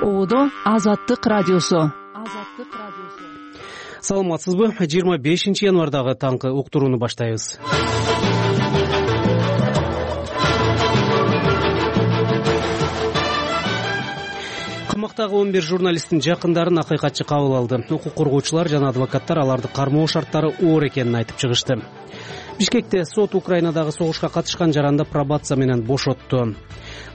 Ободо Азаттык радиосу. Саламатсызбы? 25 январдагы таңкы уктурууну баштайбыз. Камактагы 11 журналисттин жакындарын акыйкатчы кабыл алды. Укук коргоочулар жана адвокаттар аларды кармоо шарттары оор экенин айтып чыгышты. Бишкекте сот Украинадагы согушка катышкан жаранда пробация менен бошотту.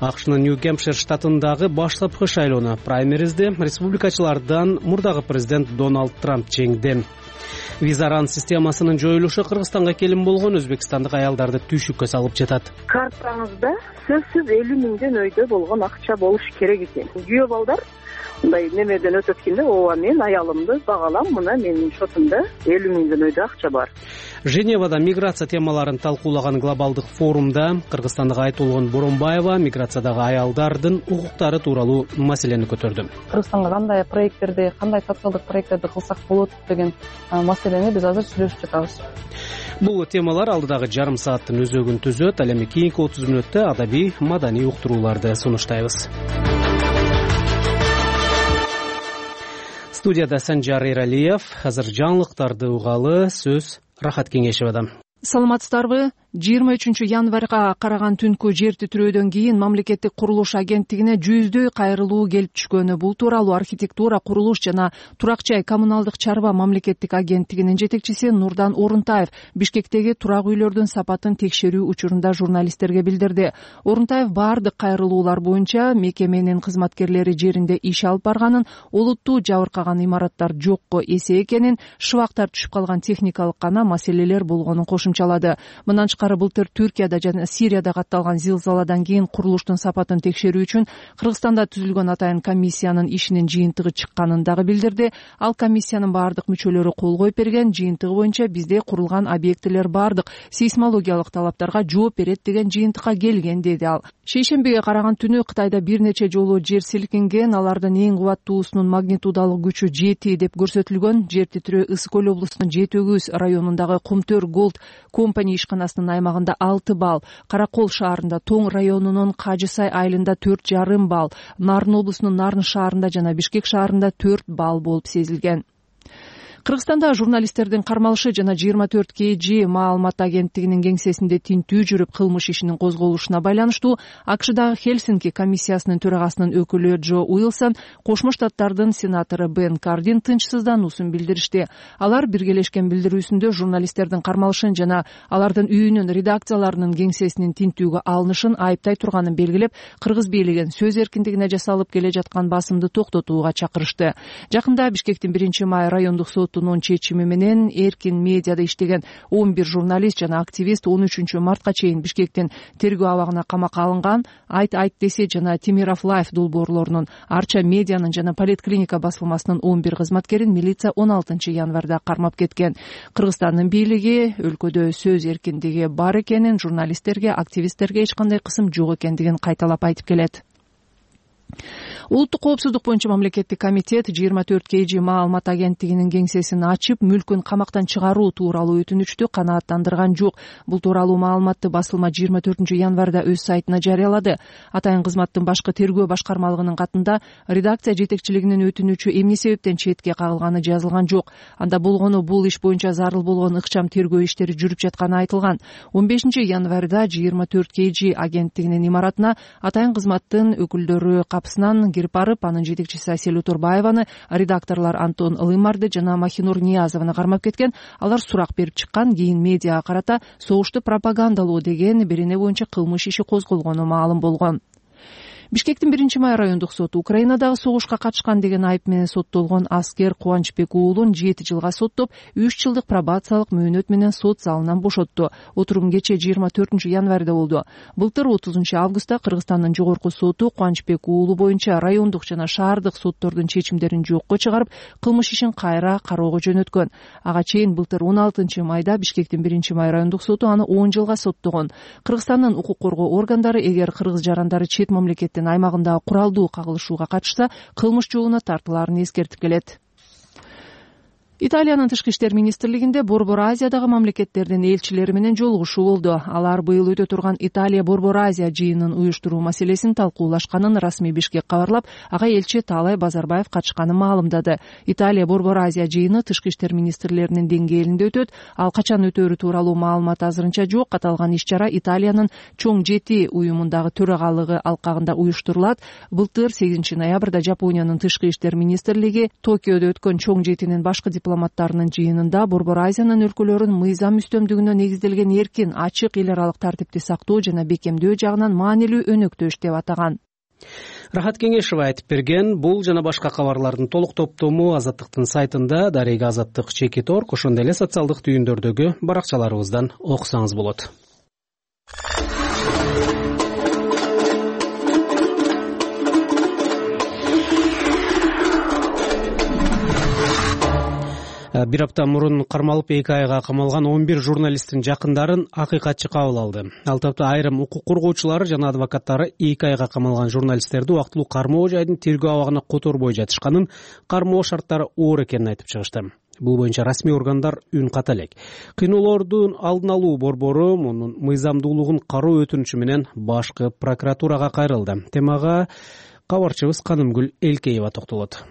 АКШнын Нью-Гэмпшир штатындагы баштапкы шайлоону праймеризде республикачылардан мурдагы президент Дональд Трамп жеңди. Визаран системасынын жоюлушу Кыргызстанга келин болгон өзбекстандык аялдарды түйшүккө салып жатат. Картаңызда сөзсүз 50 миңден өйдө болгон акча болуш керек экен. Күйөө балдар мындай немеден өтөт экен да, ооба мен аялымды багалам, мына менин шотумда 50 миңден өйдө акча бар. Женевада миграция темаларын талкуулаган глобалдык форумда кыргызстандык Айтолгон Боронбаева миграциядагы аялдардын укуктары тууралуу маселени көтөрдү. Кыргызстанга кандай проекттерди, кандай социалдык проекттерди кылсак болот деген маселени биз азыр сүйлөшүп жатабыз. Бул темалар алдыдагы жарым сааттын өзөгүн түзөт. Ал эми кийинки 30 мүнөттө адабий, маданий уктурууларды сунуштайбыз. Студияда Санжар Эралиев. Азыр жаңылыктарды угалы, сөз Рахат Кеңешевада. Саламатсыздарбы? 23 январга караган түнкү жер титирөөдөн кийин мамлекеттик курулуш агенттигине жүздөй кайрылуу келип түшкөнү. Бул тууралуу архитектура, курулуш жана турак жай коммуналдык чарба мамлекеттик агенттигинин жетекчиси Нурдан Орунтаев Бишкектеги турак үйлөрдүн сапатын текшерүү учурунда журналисттерге билдирди. Орунтаев баардык кайрылуулар боюнча мекеменин кызматкерлери жеринде иш алып барганын, олуттуу жабыркаган имараттар жокко эсе экенин, шыбактар түшүп калган техникалык гана маселелер болгонун кошумчалады. Мындан былтыр Түркияда жана Сирияда катталган зилзаладан кийин курулуштун сапатын текшерүү үчүн Кыргызстанда түзүлгөн атайын комиссиянын ишинин жыйынтыгы чыкканын дагы билдирди. Ал комиссиянын баардык мүчөлөрү кол коюп берген. Жыйынтыгы боюнча бизде курулган объектилер баардык сейсмологиялык талаптарга жооп берет деген жыйынтыкка келген, деди ал. Шейшембиге караган түнү Кытайда бир нече жолу жер силкинген. Алардын эң кубаттуусунун магнитудалык күчү 7 деп көрсөтүлгөн. Жер титирөө Ысык Көл облусунун Жети Өгүз районундагы Кумтөр Голд компания ишканасынын аймагында 6 балл, Каракол шаарында, Тоң районунун Кажысай айылында 4,5 балл, Нарын облусунун Нарын шаарында жана Бишкек шаарында 4 балл болуп сезилген. Кыргызстанда журналисттердин кармалышы жана 24 KG маалымат агенттигинин кеңсесинде тинтүү жүрүп кылмыш ишинин козголушуна байланыштуу АКШдагы Хельсинки комиссиясынын төрагасынын өкүлү Джо Уилсон Кошмо Штаттардын сенатору Бен Кардин тынчсыздануусун билдиришти. Алар биргелешкен билдирүүсүндө журналисттердин кармалышын жана алардын үйүнүн редакцияларынын кеңсесинин тинтүүгө алынышын айыптай турганын белгилеп, кыргыз бийлигин сөз эркиндигине жасалып келе жаткан басымды токтотууга чакырышты. Жакында Бишкектин 1-май райондук сотунун чечими менен эркин медиада иштеген 11 журналист жана активист 13 мартка чейин Бишкектин тергөө абагына камакка алынган. Айт десе жана Тимиров Лайф долбоорлорунун, Арча медианын жана Политклиника басылмасынын 11 кызматкерин милиция 16 январда кармап кеткен. Кыргызстандын бийлиги өлкөдө сөз эркиндиги бар экенин, журналисттерге, активисттерге эч кандай кысым жок экендигин кайталап айтып келет. Улуттук коопсуздук боюнча мамлекеттик комитет 24 KG маалымат агенттигинин кеңсесин ачып, мүлкүн камактан чыгаруу тууралуу өтүнүчтү канааттандырган жок. Бул тууралуу маалыматты басылма 24 январда өз сайтына жарыялады. Атайын кызматтын башкы тергөө башкармалыгынын катында редакция жетекчилигинин өтүнүчү эмне себептен четке кагылганы жазылган жок. Анда болгону бул иш боюнча зарыл болгон ыкчам тергөө иштери жүрүп жатканы айтылган. 15 январда 24 KG агенттигинин имаратына атайын кызматтын өкүлдөрү капысынан кирип барып, анын жетекчиси Асель Турбаеваны, редакторлор Антон Лымарды жана Махинур Ниязованы кармап кеткен. Алар сурак берип чыккан, кийин медиага карата согушту пропагандалоо деген берене боюнча кылмыш иши козголгону маалым болгон. Бишкектин 1-май райондук соту Украинадагы согушка катышкан деген айып менен соттолгон аскер Кубанычбек уулун 7 жылга соттоп, 3 жылдык пробациялык мөөнөт менен сот залынан бошотту. Отурум кече 24 январда болду. Былтыр 30 августта Кыргызстандын жогорку соту Кубанычбек уулу боюнча райондук жана шаардык соттордун чечимдерин жокко чыгарып, кылмыш ишин кайра кароого жөнөткөн. Ага чейин былтыр 16 майда Бишкектин 1-май райондук соту аны 10 жылга соттогон. Кыргызстандын укук коргоо органдары эгер кыргыз жарандары чет мамлекет аймагында куралдуу кагылышууга катышса, кылмыш жообуна тартылаарын эскертип келет. Италиянын тышкы иштер министрлигинде Борбор Азиядагы мамлекеттердин элчилери менен жолугушуу болду. Алар быйыл өтө турган Италия Борбор Азия жыйынын уюштуруу маселесин талкуулашканын расмий Бишкек кабарлап, ага элчи Таалай Базарбаев катышканын маалымдады. Италия Борбор Азия жыйыны тышкы иштер министрлеринин деңгээлинде өтөт. Ал качан өтөөрү тууралуу маалымат азырынча жок. Аталган иш-чара Италиянын чоң 7 уюмундагы төрагалыгы алкагында уюштурулат. Былтыр 8 ноябрда Жапониянын тышкы иштер министрлиги Токиодо өткөн чоң 7-нин башкы дипломаттарынын жыйынында Борбор Азиянын өлкөлөрүн мыйзам үстөмдүгүнө негизделген эркин, ачык эл аралык тартипти сактоо жана бекемдөө жагынан маанилүү өнөктөш деп атаган. Рахат Кеңешева айтып берген. Бул жана башка кабарлардын толук топтому Азаттыктын сайтында, дареги Азаттык /Org, ошондой эле социалдык түйүндөрдөгү баракчаларыбыздан окусаңыз болот. Бир апта мурун кармалып 2 айга камалган 11 журналисттин жакындарын акыйкатчы кабыл алды. Ал тапта айрым укук коргоочулары жана адвокаттары 2 айга камалган журналисттерди убактылуу кармоо жайдын тергөө абагына которбой жатышканын, кармоо шарттары оор экенин айтып чыгышты. Бул боюнча расмий органдар үн ката элек. Кыйноолордун алдын алуу борбору мунун мыйзамдуулугун кароо өтүнүчү менен башкы прокуратурага кайрылды. Темага кабарчыбыз Канымгүл Элкеева токтолот.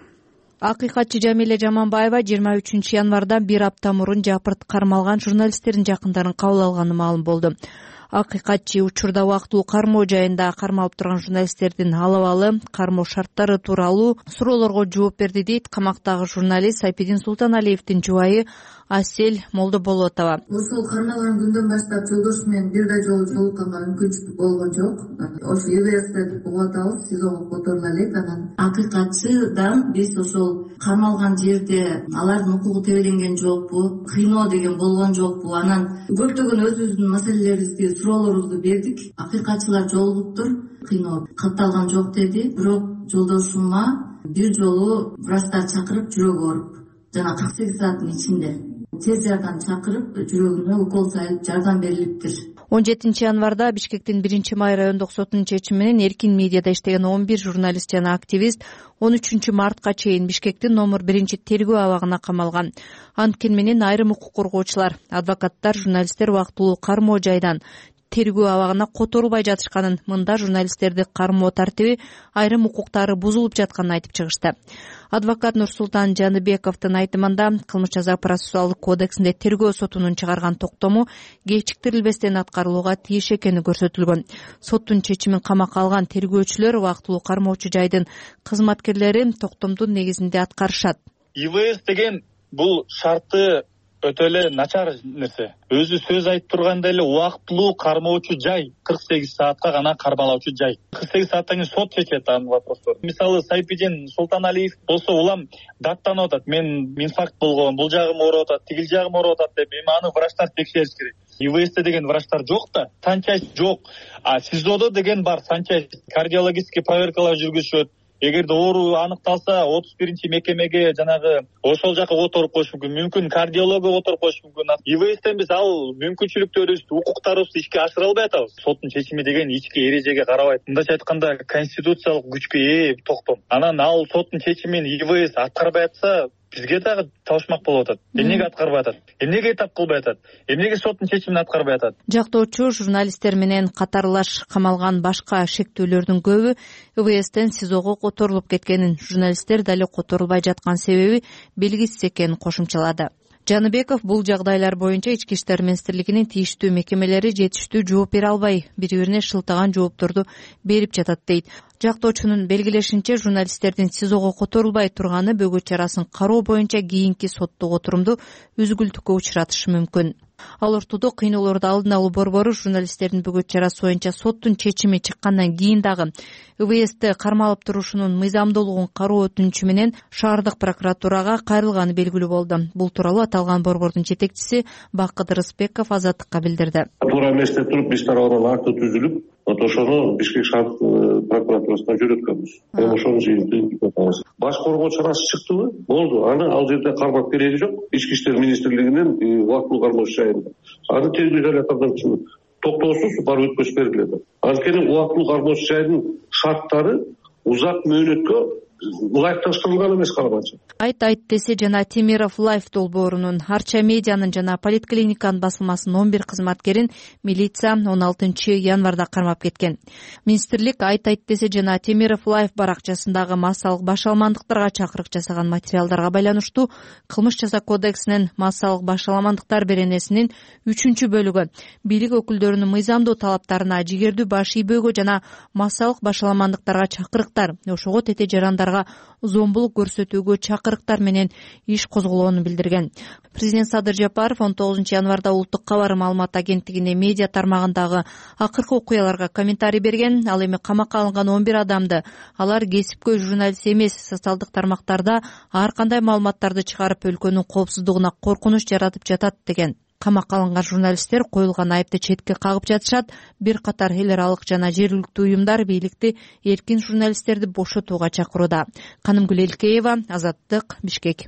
Акыйкатчы Жамиле Жаманбаева 23 январда бир апта мурун жапырт кармалган журналисттердин жакындарын кабыл алганы маалым болду. Акыйкатчы учурда убактылуу кармоо жайында кармалып турган журналисттердин алабалы кармоо шарттары тууралуу суроолорго жооп берди, дейт камактагы журналист Сайпидин Султаналиевдин жубайы Асель Молдоболотова. Ушул кармалган күндөн баштап жолдошу менен бир да жолу жолукканга мүмкүнчүлүк болгон жок. Ошо ИВС деп угуп атабыз, СИЗОго которула элек. Анан акыйкатчыдан биз ошол кармалган жерде алардын укугу тебеленген жокпу, кыйноо деген болгон жокпу. Анан көптөгөн өзүбүздүн маселелерибизди, суроолорубузду бердик. Акыйкатчылар жолугуптур, кыйноо катталган жок деди. Бирок жолдошума бир жолу врачтар чакырып жүрөгү ооруп, жана 48 сааттын ичинде тез жардам чакырып, жүрөгүнө укол салып жардам берилиптир. 17 январда Бишкектин 1-май райондук сотунун чечими менен эркин медиада иштеген 11 журналист жана активист 13 мартка чейин Бишкектин номер 1-тергөө абагына камалган. Анткени менен айрым укук коргоочулар, адвокаттар журналисттер убактылуу кармоо жайдан тергөө абагына которулбай жатышканын, мында журналисттерди кармоо тартиби, айрым укуктары бузулуп жатканын айтып чыгышты. Адвокат Нурсултан Жаныбековдун айтымында Кылмыш жаза процессуалдык кодексинде тергөө сотунун чыгарган токтому кечиктирилбестен аткарылууга тийиш экени көрсөтүлгөн. Соттун чечимин камакка алган тергөөчүлөр убактылуу кармоочу жайдын кызматкерлери токтомдун негизинде аткарышат. ИВС деген бул шарты өтө эле начар нерсе. Өзү сөз айтып тургандай эле убактылуу кармоочу жай 48 саатка гана кармалоочу жай. 48 сааттан кийин сот чечет анын вопросторун. Мисалы Сайпидин Султаналиев болсо улам даттанып атат. Мен инфаркт болгон, бул жагым ооруп атат, тигил жагым ооруп атат деп, эми аны врачтар текшериш керек. ИВС деген врачтар жок да, санчасть жок. А СИЗОдо деген бар, санчасть, кардиологический проверкалар жүргүзүшөт. Эгерде оору аныкталса 31-чи мекемеге жанагы ошол жака которуп коюш мүмкүн. Мүмкүн кардиологго которуп коюш мүмкүн. ИВСтен биз ал мүмкүнчүлүктөрүбүздү, укуктарыбызды ишке ашыра албай атабыз. Соттун чечими деген ички эрежеге карабайт. Мындайча айтканда конституциялык күчкө ээ токтом. Анан ал соттун чечимин ИВС аткарбай атса, бизге дагы табышмак болуп атат. Эмнеге аткарбай атат? Эмнеге этап кылбай атат? Эмнеге соттун чечимин аткарбай атат? Жактоочу журналисттер менен катарлаш камалган башка шектүүлөрдүн көбү ИВСтен СИЗОго которулуп кеткенин, журналисттер дали которулбай жаткан себеби белгисиз экенин кошумчалады. Жаныбеков бул жагдайлар боюнча Ички иштер министрлигинин тийиштүү мекемелери жетиштүү жооп бере албай, бири-бирине шылтаган жоопторду берип жатат, дейт. Жактоочунун белгилешинче, журналисттердин СИЗОго которулбай турганы бөгөт чарасын кароо боюнча кийинки соттук отурумду үзгүлтүккө учуратышы мүмкүн. Ал ортодо кыйноолорду алдын алуу борбору журналисттердин бөгөт чарасы боюнча соттун чечими чыккандан кийин дагы ИВСти кармалып турушунун мыйзамдуулугун кароо өтүнүчү менен шаардык прокуратурага кайрылганы белгилүү болду. Бул тууралуу аталган борбордун жетекчиси Бакыт Рыспеков Азаттыкка билдирди. Туура эместе туруп биз тарабынан акт түзүлүп, ошону Бишкек шаардык прокуратурасына жөнөткөнбүз. Ошонун жыйынтыгын атабыз. Баш коргоо чарасы чыктыбы? Болду. Аны ал жерде кармап кереги жок. Ички иштер министрлигинин убактылуу кармоочу жайында. Аны тергөө изоляторунан токтоосуз барып өткөзүп берилет. Анткени убактылуу кармоочу жайдын шарттары узак мөөнөткө лайфташтырылган эмес карманчы. Айт десе жана Темиров Лайф долбоорунун Арча медианын жана поликлиниканын басылмасынын 11 кызматкерин милиция 16 январда кармап кеткен. Министрлик Айт десе жана Темиров Лайф баракчасындагы массалык башаламандыктарга чакырык жасаган материалдарга байланыштуу Кылмыш жаза кодексинин массалык башаламандыктар беренесинин 3-бөлүгү бийлик өкүлдөрүнүн мыйзамдуу талаптарына, жигердүү баш ийбөөгө жана массалык башаламандыктарга чакырыктар, ошого тете жарандарга зомбулук көрсөтүүгө чакырыктар менен иш козголоонун билдирген. Президент Садыр Жапаров 19 январда Улуттук кабар маалымат агенттигине медиа тармагындагы акыркы окуяларга комментарий берген. Ал эми камакка алынган 11 адамды алар кесипкөй журналист эмес, социалдык тармактарда ар кандай маалыматтарды чыгарып өлкөнүн коопсуздугуна коркунуч жаратып жатат деген. Камакка алынган журналисттер коюлган айыпты четке кагып жатышат. Бир катар эл аралык жана жергиликтүү уюмдар бийликти эркин журналисттерди бошотууга чакырууда. Канымгүл Элкеева, Азаттык, Бишкек.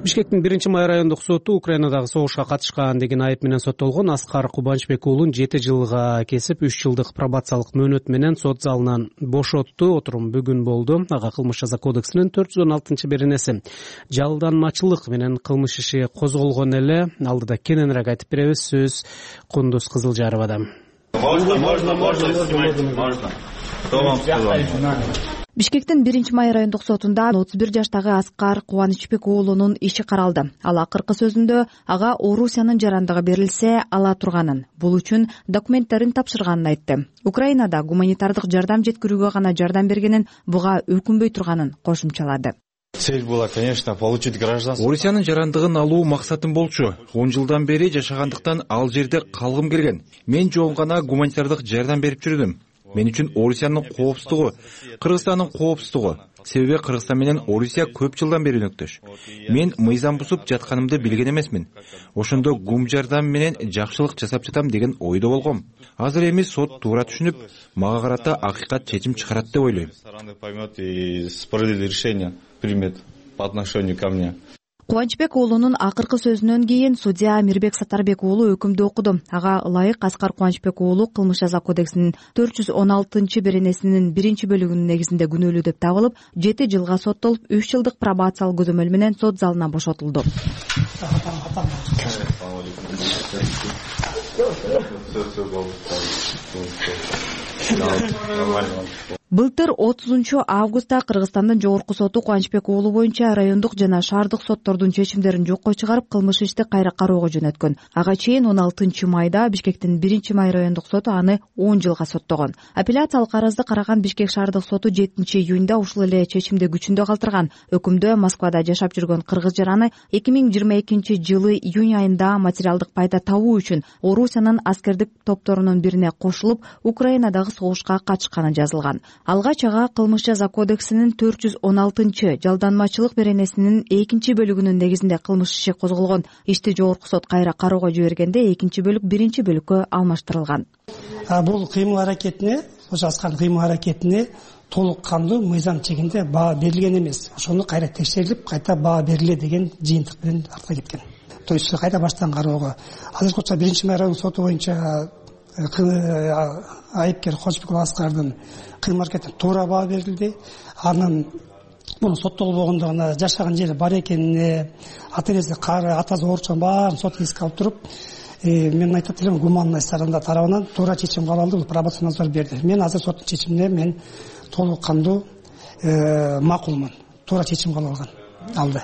Бишкектин 1-май райондук соту Украинадагы согушка катышкан деген айып менен соттолгон Аскар Кубанычбек уулун 7 жылга кесип 3 жылдык пробациялык мөөнөт менен сот залынан бошотту. Отурум бүгүн болду. Ага Кылмыш жаза кодексинин 416-беренеси жалданмачылык менен кылмыш иши козголгон эле. Алдыда кененирээк айтып беребиз. Сөз Кундуз Кызылжаровада. Бишкектин 1-май райондук сотунда 31 жаштагы Аскар Кубанычбек уулунун иши каралды. Ал акыркы сөзүндө ага Орусиянын жарандыгы берилсе ала турганын, бул үчүн документтерин тапшырганын айтты. Украинада гуманитардык жардам жеткирүүгө гана жардам бергенин, буга өкүнбөй турганын кошумчалады. Цель была, конечно, получить гражданство. Орусиянын жарандыгын алуу максатым болчу. 10 жылдан бери жашагандыктан ал жерде калгым келген. Мен жөн гана гуманитардык жардам берип жүрдүм. Мен үчүн Орусиянын коопсуздугу, Кыргызстандын коопсуздугу. Себеби Кыргызстан менен Орусия көп жылдан бери өнөктөш. Мен мыйзам бузуп жатканымды билген эмесмин. Ошондо гум жардам менен жакшылык жасап жатам деген ойдо болгом. Азыр эми сот туура түшүнүп, мага карата акыйкат чечим чыгарат деп ойлойм. Поймет и справедливое решение примет по отношению ко мне. Кубанычбек уулунун акыркы сөзүнөн кийин судья Мирбек Сатарбек уулу өкүмдү окуду. Ага ылайык Аскар Кубанычбек уулу Кылмыш жаза кодексинин 416-беренесинин 1-бөлүгүнүн негизинде күнөөлүү деп табылып, 7 жылга соттолуп, 3 жылдык пробациялык көзөмөл менен сот залынан бошотулду. Былтыр 30 августта Кыргызстандын жогорку соту Кубанычбек уулу боюнча райондук жана шаардык соттордун чечимдерин жокко чыгарып, кылмыш ишти кайра кароого жөнөткөн. Ага чейин 16 майда Бишкектин 1-май райондук соту аны 10 жылга соттогон. Апелляциялык арызды караган Бишкек шаардык соту 7-июнда ушул эле чечимди күчүндө калтырган. Өкүмдө Москвада жашап жүргөн кыргыз жараны 2022 жылы июнь айында материалдык пайда табуу үчүн Орусиянын аскердик топторунун бирине кошулуп, Украинадагы согушка катышканы жазылган. Алгач ага Кылмыш жаза кодексинин 416 жалданмачылык беренесинин 2-бөлүгүнүн негизинде кылмыш иши козголгон. Ишти жогорку сот кайра кароого жибергенде 2-бөлүк 1-бөлүккө алмаштырылган. Бул кыймыл аракетине, ошо Аскардын кыймыл аракетине толук кандуу мыйзам чегинде баа берилген эмес. Ошону кайра текшерилип, кайта баа бериле деген жыйынтык менен артка кеткен. То есть кайта баштан кароого. Азыркыча 1-май райондук соту боюнча айыпкер Кубанычбек Аскардын кыймыл аракетине туура баа берилди. Анын муну соттолбогондугуна, жашаган жери бар экенине, ата-энеси кары, атасы ооручан баарын сот эске алып туруп, мен айтат элем, гуманный сторона тарабынан туура чечим кабыл алды, бул пробация назар берди. Мен азыр соттун чечимине мен толук кандуу макулмун. Туура чечим кабыл алды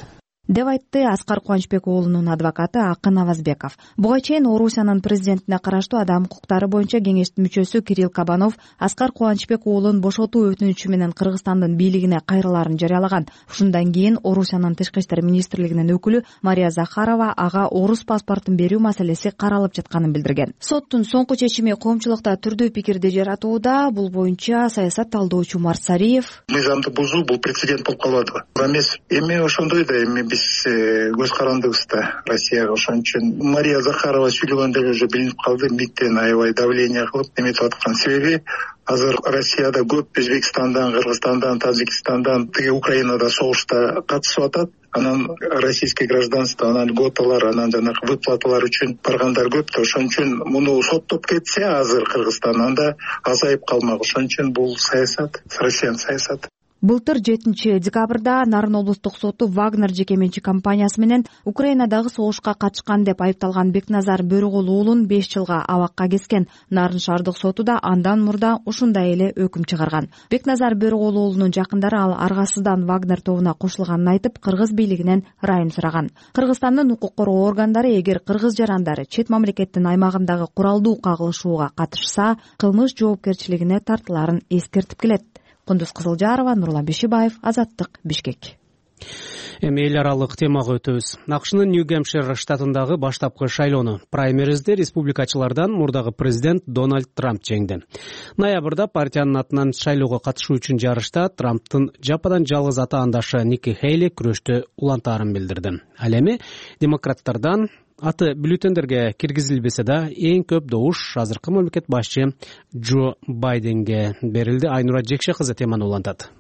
деп айтты Аскар Кубанычбек уулунун адвокаты Акын Авазбеков. Буга чейин Орусиянын президентине караштуу адам укуктары боюнча кеңештин мүчөсү Кирилл Кабанов Аскар Кубанычбек уулун бошотуу өтүнүчү менен Кыргызстандын бийлигине кайрылаарын жарыялаган. Ушундан кийин Орусиянын тышкы иштер министрлигинин өкүлү Мария Захарова ага орус паспортун берүү маселеси каралып жатканын билдирген. Соттун соңку чечими коомчулукта түрдүү пикирди жаратууда. Бул боюнча саясат талдоочу Марсариев: мыйзамды бузуу бул прецедент болуп калбадыбы? Эмес, эми ошондой да эми биз көз карандыбыз да Россияга. Ошон үчүн Мария Захарова сүйлөгөндө уже билинип калды, миттен аябай давление кылып эметип аткан. Себеби азыр Россияда көп Өзбекстандан, Кыргызстандан, Тажикстандан, тиги Украинада согушта катышып атат. Анан российский гражданство, анан льготалар, анан жанагы выплаталар үчүн баргандар көп да, ошон үчүн муну соттоп кетсе азыр Кыргызстан, анда азайып калмак. Ошон үчүн бул саясат, Россиянын саясаты. Былтыр 7-декабрда Нарын облустук соту Вагнер жеке менчик компаниясы менен Украинадагы согушка катышкан деп айыпталган Бекназар Бөрүгул уулун 5 жылга абакка кескен. Нарын шаардык соту да андан мурда ушундай эле өкүм чыгарган. Бекназар Бөрүгул уулунун жакындары ал аргасыздан Вагнер тобуна кошулганын айтып, кыргыз бийлигинен ырайым сураган. Кыргызстандын укук коргоо органдары эгер кыргыз жарандары чет мамлекеттин аймагындагы куралдуу кагылышууга катышса, кылмыш жоопкерчилигине тартыларын эскертип келет. Кундуз Кызылжарова, Нурлан Бешибаев, Азаттык, Бишкек. Эми эл аралык темага өтөбүз. АКШнын Нью-Гэмпшир штатындагы баштапкы шайлоону праймеризде республикачылардан мурдагы президент Дональд Трамп жеңди. Ноябрда партиянын атынан шайлоого катышуу үчүн жарышта Трамптын жападан жалгыз атаандашы Ники Хейли күрөштө улантаарын билдирди. Ал эми демократтардан аты бюллетендерге киргизилбесе да эң көп добуш азыркы мамлекет башчы Джо Байденге берилди. Айнура Жекше кызы теманы улантат.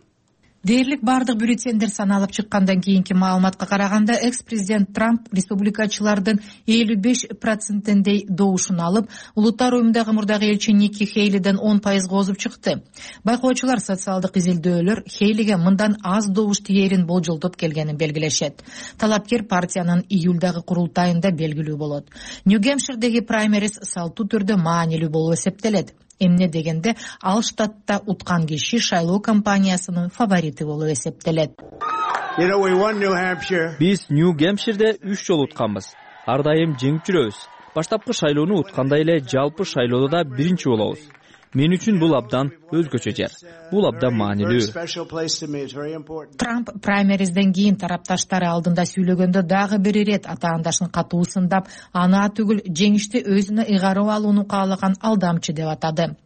Дээрлик бардык бюллетендер саналып чыккандан кийинки маалыматка караганда экс-президент Трамп республикачылардын 55%-дей добушун алып, улуттар уюмундагы мурдагы элчи Ники Хейлиден 10% озуп чыкты. Байкоочулар социалдык изилдөөлөр Хейлиге мындан аз добуш тиерин болжолдоп келгенин белгилешет. Талапкер партиянын июлдагы курултайында белгилүү болот. Нью-Гэмпширдеги праймериз салттуу түрдө маанилүү болуп эсептелет. Эмне дегенде, ал штатта уткан киши шайлоо кампаниясынын фаворити болуп эсептелет. Биз Нью-Гэмпширде 3 жолу утканбыз. Ар дайым жеңип жүрөбүз. Баштапкы шайлоону уткандай эле жалпы шайлоодо да биринчи болобуз. Мен үчүн бул абдан өзгөчө жер. Бул абдан маанилүү. Трамп праймеризден кийин тарапташтары алдында сүйлөгөндө дагы бир ирет атаандашын катуу сындап, аны түгүл жеңишти өзүнө ыйгарып алууну каалаган алдамчы деп атады.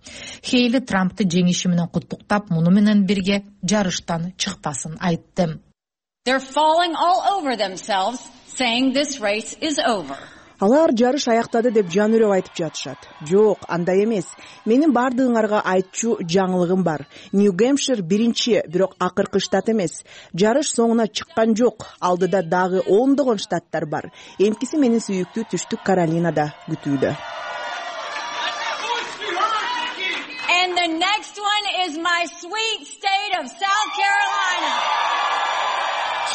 Хейли Трампты жеңиши менен куттуктап, муну менен бирге жарыштан чыкпасын айтты. Алар жарыш аяктады деп жан үрөп айтып жатышат. Жок, андай эмес. Менин бардыгыңарга айтчу жаңылыгым бар. Нью-Гэмпшир биринчи, бирок акыркы штат эмес. Жарыш соңуна чыккан жок. Алдыда дагы ондогон штаттар бар. Эмкиси менин сүйүктүү түштүк Каролинада күтүүдө. And the next one is my sweet state of South Carolina.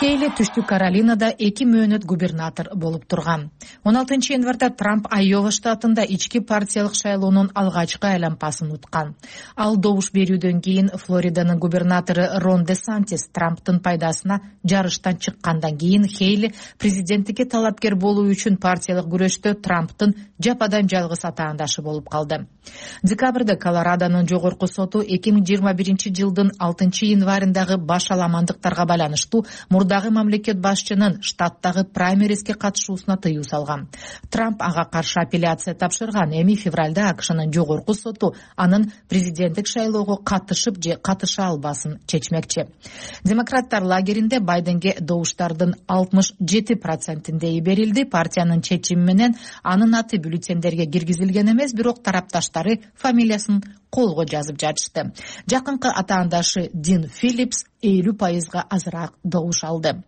Хейли түштүк Каролинада 2 мөөнөт губернатор болуп турган. 16 январда Трамп Айова штатында ички партиялык шайлоонун алгачкы айланпасын уткан. Ал добуш берүүдөн кийин Флориданын губернатору Рон Де Сантис Трамптын пайдасына жарыштан чыккандан кийин Хейли президенттикке талапкер болуу үчүн партиялык күрөштө Трамптын жападан жалгыз атаандашы болуп калды. Декабрда Колорадонун жогорку соту 2021 жылдын 6 январындагы баш аламандыктарга байланыштуу мурдагы мамлекет башчынын штаттагы праймериске катышуусуна тыюу салган. Трамп ага каршы апелляция тапшырган. Эми февралда АКШнын жогорку соту анын президенттик шайлоого катышып же катыша албасын чечмекчи. Демократтар лагеринде Байденге добуштардын 67%-дей берилди. Партиянын чечими менен анын аты бюллетендерге киргизилген эмес, бирок тарапташтары фамилиясын колго жазып жатышты. Жакынкы атаандашы Дин Филлипс 50%-га азыраак добуш алды.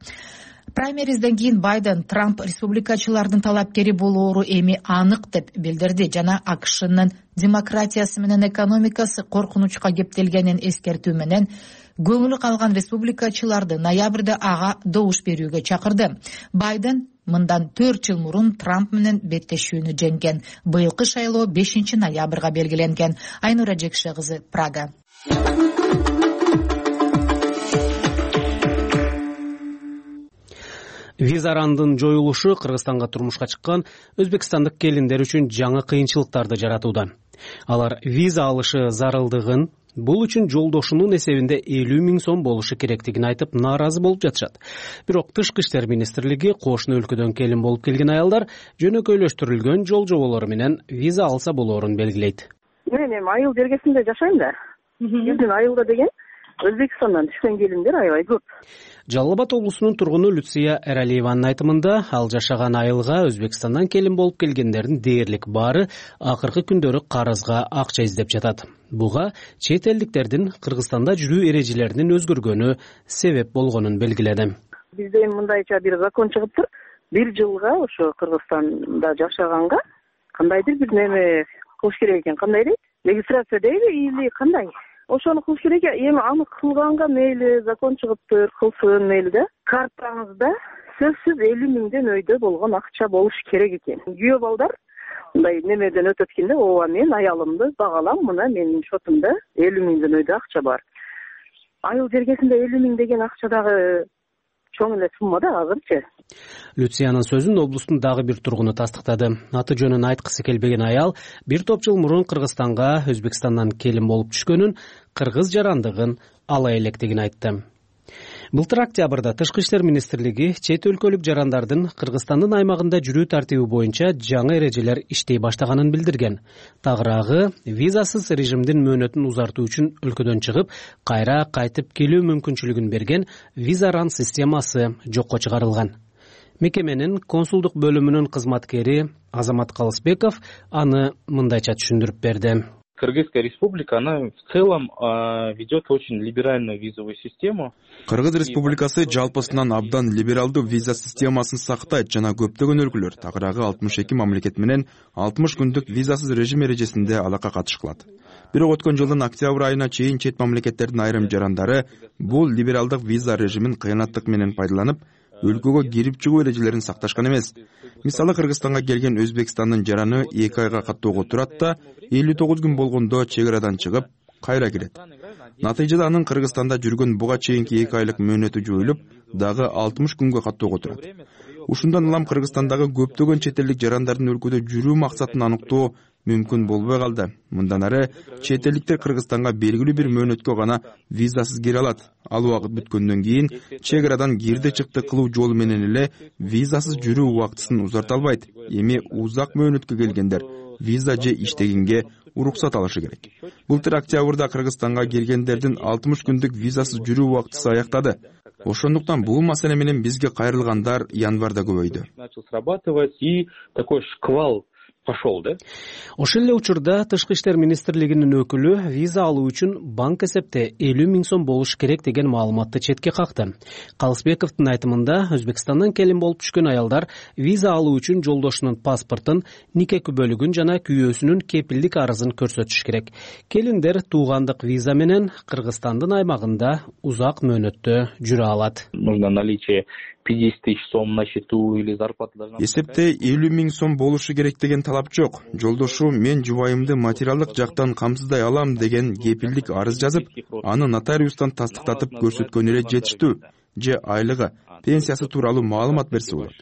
Праймеризден кийин Байден Трамп республикачылардын талапкери болоору эми анык деп билдирди жана АКШнын демократиясы менен экономикасы коркунучка кептелгенин эскертүү менен көңүлү калган республикачыларды ноябрда ага добуш берүүгө чакырды. Байден мындан 4 жыл мурун Трамп менен беттешүүнү жеңген. Быйылкы шайлоо 5 ноябрга белгиленген. Айнура Жекше кызы, Прага. Визарандын жоюлушу Кыргызстанга турмушка чыккан өзбекстандык келиндер үчүн жаңы кыйынчылыктарды жаратууда. Алар виза алышы зарылдыгын, бул үчүн жолдошунун эсебинде 50 000 сом болушу керектигин айтып нааразы болуп жатышат. Бирок Тышкы иштер министрлиги кошуна өлкөдөн келин болуп келген аялдар жөнөкөйлөштүрүлгөн жол жоболору менен виза алса болоорун белгилейт. Мен айыл бергесинде жашайм да. Биздин айылда деген Өзбекстандан түшкөн келиндер аябай көп. Жалал Абад облусунун тургуну Люция Эралиеванын айтымында, ал жашаган айылга Өзбекстандан келин болуп келгендердин дээрлик баары акыркы күндөрү карызга акча издеп жатат. Буга чет элдиктердин Кыргызстанда жүрүү эрежелеринин өзгөргөнү себеп болгонун белгиледи. Бизде мындайча бир закон чыгыптыр. 1 жылга ошо Кыргызстанда жашаганга кандайдыр бир неме кылыш керек экен. Кандай дейт? Регистрация дейби или кандай? Ошону кылыш керек. Эми аны кылганга мейли закон чыгыптыр, кылсын мейли да. Картаңызда сөзсүз 50 миңден өйдө болгон акча болуш керек экен. Күйөө балдар мындай немеден өтөт экенде, ооба мен аялымды багалам, мына менин шотумда 50 миңден өйдө акча бар. Айыл жергесинде 50 миң деген акча дагы чоң эле сумма да азырчы. Люциянын сөзүн облустун дагы бир тургуну тастыктады. Аты жөнүн айткысы келбеген аял бир топ жыл мурун Кыргызстанга Өзбекстандан келин болуп түшкөнүн, кыргыз жарандыгын ала электигин айтты. Былтыр октябрда Тышкы иштер министрлиги чет өлкөлүк жарандардын Кыргызстандын аймагында жүрүү тартиби боюнча жаңы эрежелер иштей баштаганын билдирген. Тагыраагы визасыз режимдин мөөнөтүн узартуу үчүн өлкөдөн чыгып, кайра кайтып келүү мүмкүнчүлүгүн берген виза-ран системасы жокко чыгарылган. Мекеменин консулдук бөлүмүнүн кызматкери Азамат Калысбеков аны мындайча түшүндүрүп берди. Кыргызская республика, она в целом ведет очень либеральную визовую систему. Кыргыз республикасы жалпысынан абдан либералдуу виза системасын сактайт жана көптөгөн өлкөлөр тагыраагы 62 мамлекет менен 60 күндүк визасыз режим эрежесинде алакка катыш кылат. Бирок өткөн жылдын октябрь айына чейин чет мамлекеттердин айрым жарандары бул либералдык виза режимин кыянаттык менен пайдаланып, өлкөгө кирип чыгуу эрежелерин сакташкан эмес. Мисалы, Кыргызстанга келген Өзбекстандын жараны 2 айга каттоого турат да, 59 күн болгондо чек арадан чыгып, кайра кирет. Натыйжада анын Кыргызстанда жүргөн буга чейинки 2 айлык мөөнөтү жоюлуп, дагы 60 күнгө каттоого турат. Ушундан улам Кыргызстандагы көптөгөн чет элдик жарандардын өлкөдө жүрүү максатын аныктоо мүмкүн болбой калды. Мындан ары чет элдиктер Кыргызстанга белгилүү бир мөөнөткө гана визасыз кире алат. Ал убакыт бүткөндөн кийин чек арадан кирди чыкты кылуу жолу менен эле визасыз жүрүү убактысын узарта албайт. Эми узак мөөнөткө келгендер виза же иштегенге уруксат алышы керек. Былтыр октябрда Кыргызстанга келгендердин 60 күндүк визасыз жүрүү убактысы аяктады. Ошондуктан бул маселе менен бизге кайрылгандар январда көбөйдү. Начал срабатывать, и такой шквал пошел, да? Ошол эле учурда Тышкы иштер министрлигинин өкүлү виза алуу үчүн банк эсепте 50 миң сом болуш керек деген маалыматты четке какты. Калысбековдун айтымында, Өзбекстандан келин болуп түшкөн аялдар виза алуу үчүн жолдошунун паспортун, нике күбөлүгүн жана күйөөсүнүн кепилдик арызын көрсөтүш керек. Келиндер туугандык виза менен Кыргызстандын аймагында узак мөөнөттө жүрө алат. Нужно наличие 50 тысяч сом на счету или зарплата должна... Эсепте 50 миң сом болушу керек деген талап жок. Жолдошу мен жубайымды материалдык жактан камсыздай алам деген кепилдик арыз жазып, аны нотариустан тастыктатып көрсөткөн эле жетиштүү. Же айлыгы, пенсиясы тууралуу маалымат берсе болот.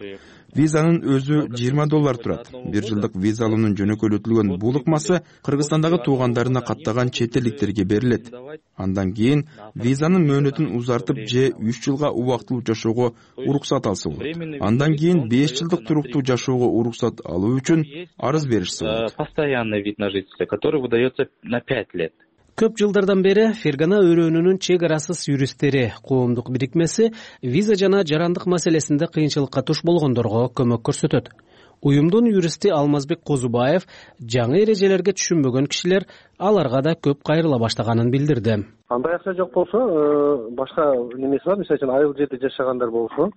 Визанын өзү $20 турат. 1 жылдык виза алуунун жөнөкөйлөтүлгөн бул ыкмасы Кыргызстандагы туугандарына каттаган чет элдиктерге берилет. Андан кийин визанын мөөнөтүн узартып же 3 жылга убактылуу жашоого уруксат алса болот. Андан кийин 5 жылдык туруктуу жашоого уруксат алуу үчүн арыз беришсе болот. Постоянный вид на жительство, который выдается на 5 лет. Көп жылдардан бери Фергана өрөөнүнүн чек арасыз юристтери коомдук бирикмеси виза жана жарандык маселесинде кыйынчылыкка туш болгондорго көмөк көрсөтөт. Уюмдун юристи Алмазбек Козубаев жаңы эрежелерге түшүнбөгөн кишилер аларга да көп кайрыла баштаганын билдирди. Андай акча жок болсо, башка немеси бар, мисалы үчүн айыл жерде жашагандар болсо,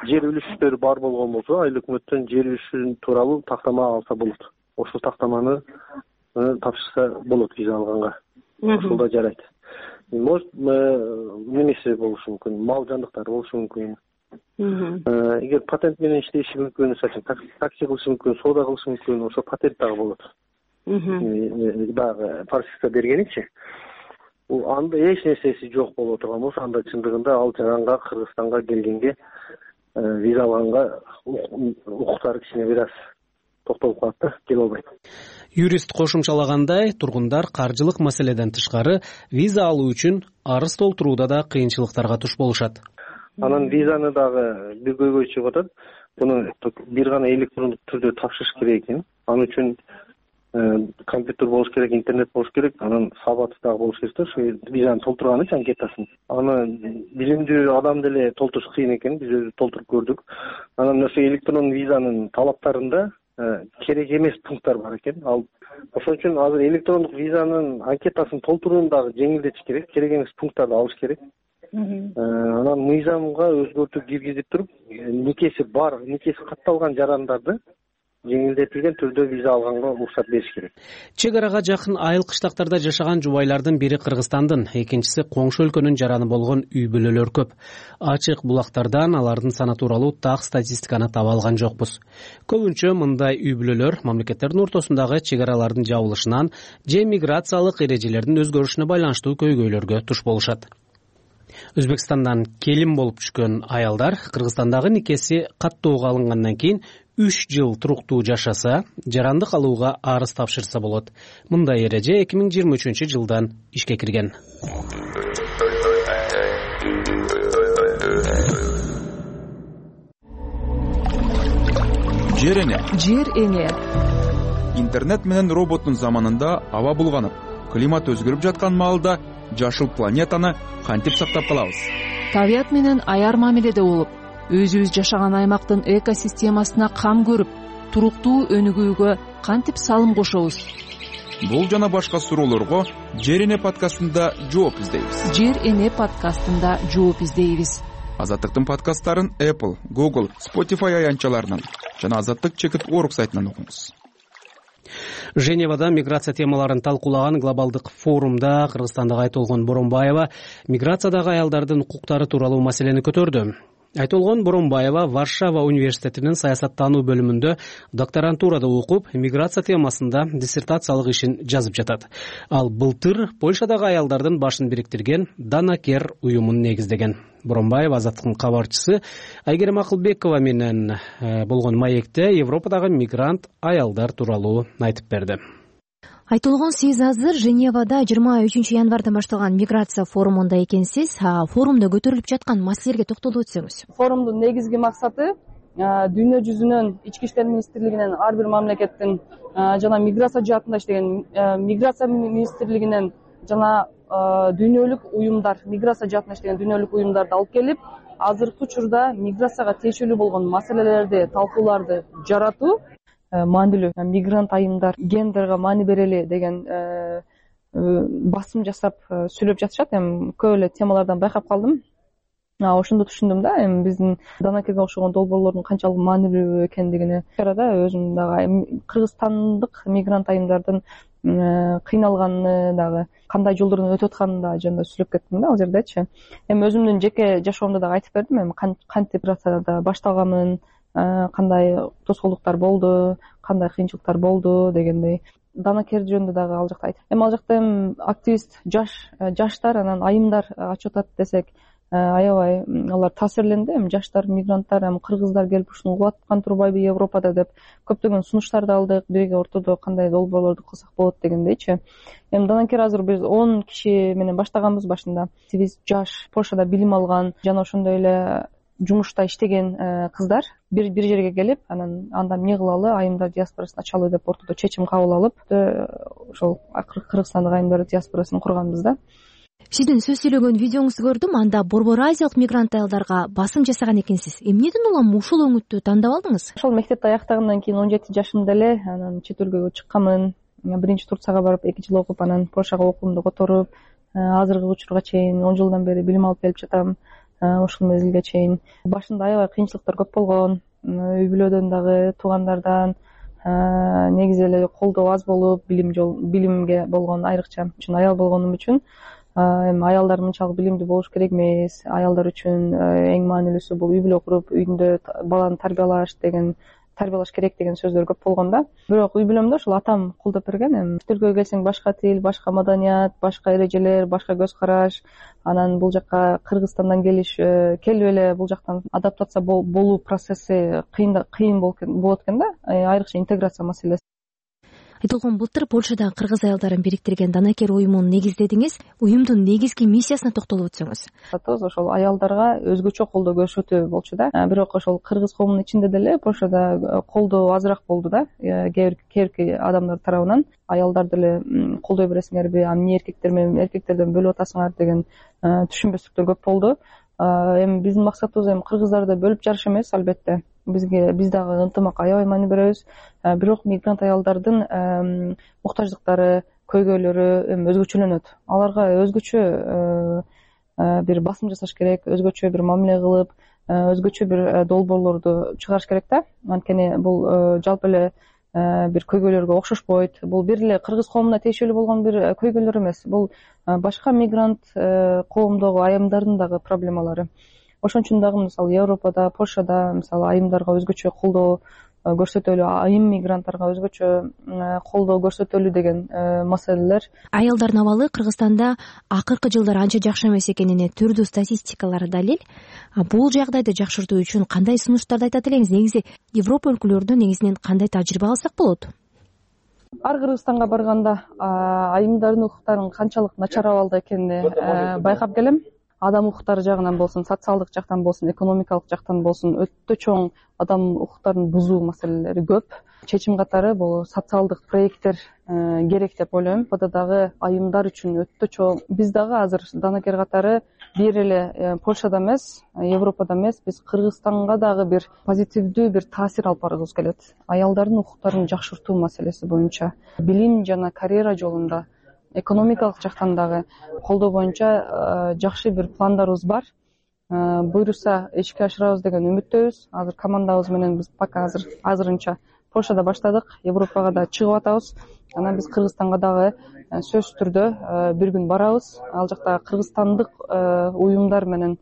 жер үлүштөрү бар болгон болсо, айыл өкмөттөн жер үлүшү тууралуу тактама алса болот. Ошол тактаманы тапшырса болот виза алганга. Ошол да жарайт. Может, немеси болушу мүмкүн, мал жандыктар болушу мүмкүн. Эгер патент менен иштеши мүмкүн, такси кылышы мүмкүн, соода кылышы мүмкүн, ошо патент дагы болот. Дагы прописка бергеничи. Анда эч нерсеси жок боло турган болсо, анда чындыгында ал жаранга, Кыргызстанга келгенге виза алганга укуктары кичине бир аз токтолуп калат да, келе албайт. Юрист кошумчалагандай, тургундар каржылык маселеден тышкары виза алуу үчүн арыз толтурууда да кыйынчылыктарга туш болушат. Анан визаны дагы бир көйгөй чыгып атат. Буну бир гана электрондук түрдө тапшырыш керек экен. Ал үчүн компьютер болуш керек, интернет болуш керек, анан сабаты дагы болуш керек да ушу визаны толтурганычы анкетасын. Аны билимдүү адам деле толтуруш кыйын экен, биз өзүбүз толтуруп көрдүк. Анан ошо электрон визанын талаптарында керек эмес пункттар бар экен. Ал ошон үчүн азыр электрондук визанын анкетасын толтурууну дагы жеңилдетиш керек, керек эмес пункттарды алыш керек. Анан мыйзамга өзгөртүү киргизип туруп, никеси катталган жарандарды жеңилдетилген түрдө виза алганга уруксат бериш керек. Чек арага жакын айыл кыштактарда жашаган жубайлардын бири Кыргызстандын, экинчиси коңшу өлкөнүн жараны болгон үй бүлөлөр көп. Ачык булактардан алардын саны тууралуу так статистиканы таба алган жокпуз. Көбүнчө мындай үй бүлөлөр мамлекеттердин ортосундагы чек аралардын жабылышынан же миграциялык эрежелердин өзгөрүшүнө байланыштуу көйгөйлөргө туш болушат. Өзбекстандан келин болуп түшкөн аялдар Кыргызстандагы никеси каттоого алынгандан кийин 3 жыл туруктуу жашаса, жарандык алууга арыз тапшырса болот. Мындай эреже 2023-жылдан ишке кирген. Жер эне. Интернет менен роботтун заманында аба булганып, климат өзгөрүп жаткан маалда жашыл планетаны кантип сактап калабыз? Табият менен аяр мамиледе болуп, өзүбүз жашаган аймактын экосистемасына кам көрүп, туруктуу өнүгүүгө кантип салым кошобуз? Бул жана башка суроолорго Жер эне подкастында жооп издейбиз. Жер эне подкастында жооп издейбиз. Азаттыктын подкасттарын Apple, Google, Spotify аянтчаларынан жана Азаттык чекит.org сайтынан окуңуз. Женевада миграция темаларын талкуулаган глобалдык форумда Кыргызстандагы Айтолгон Боронбаева миграциядагы аялдардын укуктары тууралуу маселени көтөрдү. Айтолгон Боронбаева Варшава университетинин саясаттануу бөлүмүндө докторантурада окуп, миграция темасында диссертациялык ишин жазып жатат. Ал былтыр Польшадагы аялдардын башын бириктирген Данакер уюмун негиздеген. Боронбаева Азаттыктын кабарчысы Айгерим Акылбекова менен болгон маекте Европадагы мигрант аялдар тууралуу айтып берди. Айтолгон, сиз азыр Женевада 23 январдан башталган миграция форумунда экенсиз. Форумда көтөрүлүп жаткан маселелерге токтолуп өтсөңүз. Форумдун негизги максаты дүйнө жүзүнүн ички иштер министрлигинен, ар бир мамлекеттин жана миграция жаатында иштеген миграция министрлигинен жана дүйнөлүк уюмдар, миграция жаатында иштеген дүйнөлүк уюмдарды алып келип, азыркы учурда миграцияга тиешелүү болгон маселелерди, талкууларды жаратуу маанилүү. Мигрант айымдар гендерге маани берели деген басым жасап сүйлөп жатышат. Эми көп эле темалардан байкап калдым. Ошондо түшүндүм да, эми биздин Данакерге окшогон долбоорлордун канчалык маанилүү экендигини. Чарада өзүм дагы кыргызстандык мигрант айымдардын кыйналганын дагы, кандай жолдордон өтүп атканын дагы жөнүндө сүйлөп кеттим да ал жердечи. Эми өзүмдүн жеке жашоомдо дагы айтып бердим, эми кантип миграцияда башталганын, кандай тоскоолдуктар болду, кандай кыйынчылыктар болду дегендей. Данакер жөнүндө дагы ал жакта айтып. Эми ал жакта активист жаштар, анан айымдар ачып атат десек аябай алар таасирленди. Эми жаштар, мигранттар, эми кыргыздар келип ушуну улаткан турбайбы Европада деп көптөгөн сунуштарды алдык. Бирге ортодо кандай долбоорлорду кылсак болот дегендейчи. Эми Данакер азыр биз 10 киши менен баштаганбыз башында. Биз жаш, Польшада билим алган жана ошондой эле жумушта иштеген кыздар бир жерге келип, анда эмне кылалы, айымдар диаспорасын ачалы деп ортодо чечим кабыл алып, ошол Кыргызстандык айымдар диаспорасын курганбыз да. Сиздин сөз сүйлөгөн видеоңузду көрдүм. Анда Борбор Азиялык мигрант аялдарга басым жасаган экенсиз. Эмнеден улам ушул өңүттү тандап алдыңыз? Ошол мектепти аяктагандан кийин 17 жашымда эле анан чет өлкөгө чыкканмын. Биринчи Турцияга барып 2 жыл окуп, анан Польшага окуумду которуп, азыркы учурга чейин 10 жылдан бери билим алып келип жатам. Ушул мезгилге чейин башында аябай кыйынчылыктар көп болгон. Үй бүлөдөн дагы, туугандардан негизи эле колдоо аз болуп, билимге болгон айрыкча үчүн аял болгонум үчүн эми аялдар мынчалык билимдүү болуш керек эмес. Аялдар үчүн эң маанилүүсү бул үй бүлө куруп, үйдө баланы тарбиялаш керек деген сөздөр көп болгон да. Бирок үй бүлөмдө ушул атам колдоп берген. Эми чет өлкөгө келсең башка тил, башка маданият, башка эрежелер, башка көз караш. Анан бул жакка Кыргызстандан келип эле бул жактан адаптация болуу процесси кыйын болот экен да. Айрыкча интеграция маселеси. Айтолгон, былтыр Польшадагы кыргыз аялдарын бириктирген Данакер уюмун негиздедиңиз. Уюмдун негизги миссиясына токтолуп өтсөңүз. Ошол аялдарга өзгөчө колдоо көрсөтүү болчу да. Бирок ошол кыргыз коомунун ичинде деле Польшада колдоо азыраак болду да. Кээ бир адамдар тарабынан аялдар деле колдой бересиңерби, эмне эркектерден бөлүп атасыңар деген түшүнбөстүктөр көп болду. Эми биздин максатыбыз кыргыздарды бөлүп жарыш эмес, албетте. Биз дагы ынтымакка аябай маани беребиз. Бирок мигрант аялдардын муктаждыктары, көйгөйлөрү өзгөчөлөнөт. Аларга өзгөчө бир басым жасаш керек, өзгөчө бир мамиле кылып, өзгөчө бир долбоорлорду чыгарыш керек да. Анткени бул жалпы эле бир көйгөйлөргө окшошпойт. Бул бир эле кыргыз коомуна тиешелүү болгон бир көйгөйлөр эмес. Бул башка мигрант коомдогу айымдардын дагы проблемалары. Ошон үчүн дагы мисалы Европада, Польшада мисалы айымдарга өзгөчө колдоо көрсөтөлү, айым мигранттарга өзгөчө колдоо көрсөтөлү деген маселелер. Аялдардын абалы Кыргызстанда акыркы жылдары анча жакшы эмес экенине түрдүү статистикалар далил. Бул жагдайды жакшыртуу үчүн кандай сунуштарды айтат элеңиз? Негизи Европа өлкөлөрүнөн негизинен кандай тажрыйба алсак болот? Ар Кыргызстанга барганда айымдардын укуктарынын канчалык начар абалда экенин байкап келем. Адам укуктары жагынан болсун, социалдык жактан болсун, экономикалык жактан болсун өтө чоң адам укуктарын бузуу маселелери көп. Чечим катары бул социалдык проекттер керек деп ойлойм. Буда дагы айымдар үчүн өтө чоң. Биз дагы азыр Данакер катары бир эле Польшада эмес, Европада эмес, биз Кыргызстанга дагы бир позитивдүү бир таасир алып баргыбыз келет. Аялдардын укуктарын жакшыртуу маселеси боюнча, билим жана карьера жолунда, экономикалык жактан дагы колдоо боюнча жакшы бир пландарыбыз бар. Буйруса ишке ашырабыз деген үмүттөбүз. Азыр командабыз менен биз пока азырынча Польшада баштадык, Европага да чыгып атабыз. Анан биз Кыргызстанга дагы сөзсүз түрдө бир күн барабыз. Ал жакта кыргызстандык уюмдар менен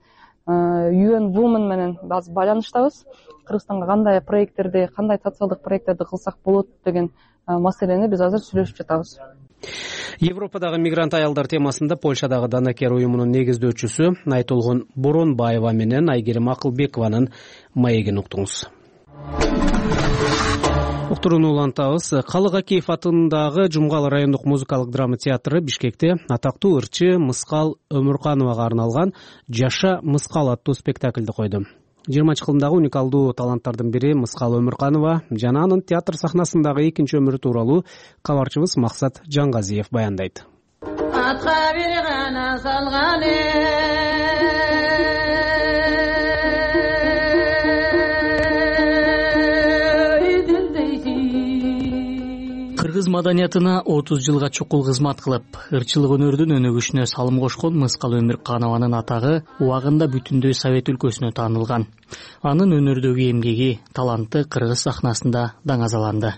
UN Women менен базы байланыштабыз. Кыргызстанга кандай проекттерди, кандай социалдык проекттерди кылсак болот деген маселени биз азыр сүйлөшүп жатабыз. Европадагы мигрант аялдар темасында Польшадагы Данакер уюмунун негиздөөчүсү Айтолгон Боронбаева менен Айгерим Акылбекованын маегин уктуңуз. Уктурууну улантабыз. Калык Акеев атындагы Жумгал райондук музыкалык драма театры Бишкекте атактуу ырчы Мыскал Өмүркановага арналган Жаша Мыскал аттуу спектакльди койду. 20-кылымдагы уникалдуу таланттардын бири Мыскал Өмүрканова жана анын театр сахнасындагы экинчи өмүрү тууралуу кабарчыбыз Максат Жангазиев баяндайт. Атка бир гана салган Кыргыз маданиятына 30 жылга чукул кызмат кылып, ырчылык өнөрдүн өнүгүшүнө салым кошкон Мыскал Өмүрканованын атагы убагында бүтүндөй Совет өлкөсүнө таанылган. Анын өнөрдөгү эмгеги, таланты кыргыз сахнасында даңазаланды.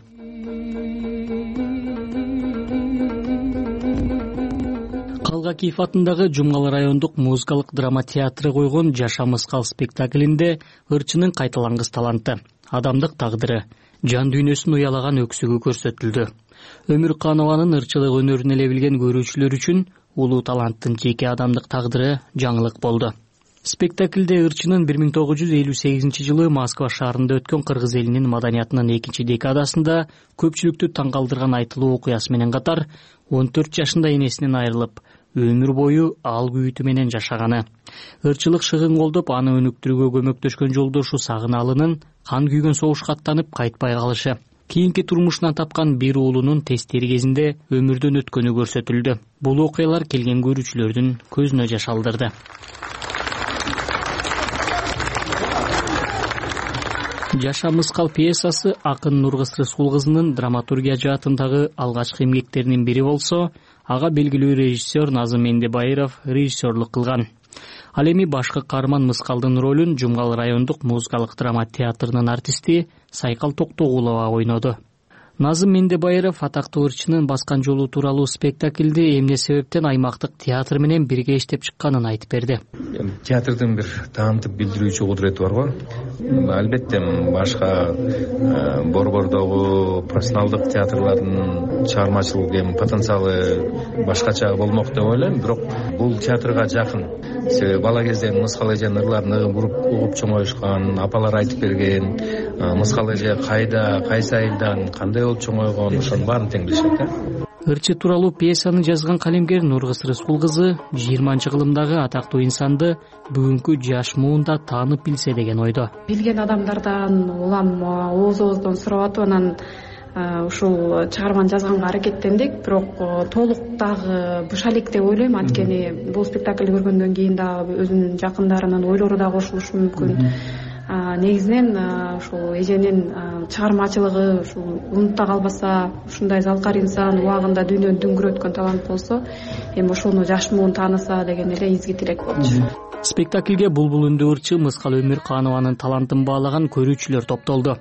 Калык Акеев атындагы Жумгал райондук музыкалык драма театры койгон Жаша Мыскал спектаклинде ырчынын кайталангыс таланты, адамдык тагдыры, жан дүйнөсүн уялаган өксүгү көрсөтүлдү. Өмүрканованын ырчылык өнөрүн эле билген көрүүчүлөр үчүн улуу таланттын жеке адамдык тагдыры жаңылык болду. Спектаклде ырчынын 1958 жылы Москва шаарында өткөн кыргыз элинин маданиятынын экинчи декадасында көпчүлүктү таң калтырган айтылуу окуясы менен катар 14 жашында энесинен айрылып, өмүр бою ал күйүтү менен жашаганы, ырчылык шыгын колдоп аны өнүктүрүүгө көмөктөшкөн жолдошу Сагыналынын кан күйгөн согушка аттанып кайтпай калышы, кийинки турмушунан тапкан бир уулунун тесттери кезинде өмүрдөн өткөнү көрсөтүлдү. Бул окуялар келген көрүүчүлөрдүн көзүнө жаш алдырды. Жаша Мыскал пьесасы акын Нургыз Рыскул кызынын драматургия жаатындагы алгачкы эмгектеринин бири болсо, ага белгилүү режиссер Назым Мендебайыров режиссерлук кылган. Ал эми башкы каарман Мыскалдын ролун Жумгал райондук музыкалык драма театрынын артисти Сайкал Токтогулова ойноду. Назым Мендебайыров атактуу ырчынын баскан жолу тууралуу спектакльди эмне себептен аймактык театр менен бирге иштеп чыкканын айтып берди. Театрдын бир таамтып билдирүүчү кудурети бар го. Албетте башка борбордогу профессионалдык театрлардын чыгармачылык потенциалы башкача болмок деп ойлойм, бирок бул театрга жакын. Себеби бала кезден Мыскал эженин ырларын угуп чоңоюшкан, апалар айтып берген, Мыскал эже кайда, кайсы айылдан, кандай болуп чоңойгон, ошонун баарын тең билишет. Ырчы тууралуу пьесаны жазган калемгер Нургыз Рыскул кызы 20-кылымдагы атактуу инсанды бүгүнкү жаш муунда таанып билсе деген ойдо. Билген адамдардан улам ооз-ооздон сурап атып, анан ушул чыгарманы жазганга аракеттендик, бирок толук дагы буша элек деп ойлойм. Анткени бул спектакль көргөндөн кийин дагы өзүнүн жакындарынын ойлору дагы кошулушу мүмкүн. Негизинен ушул эженин чыгармачылыгы ушул унута калбаса, ушундай залкар инсан убагында дүйнөнү дүңгүрөткөн талант болсо, эми ошону жаш муун тааныса деген эле изги тилек болчу. Спектакльге булбул үндүү ырчы Мыскал Өмүрканованын талантын баалаган көрүүчүлөр топтолду.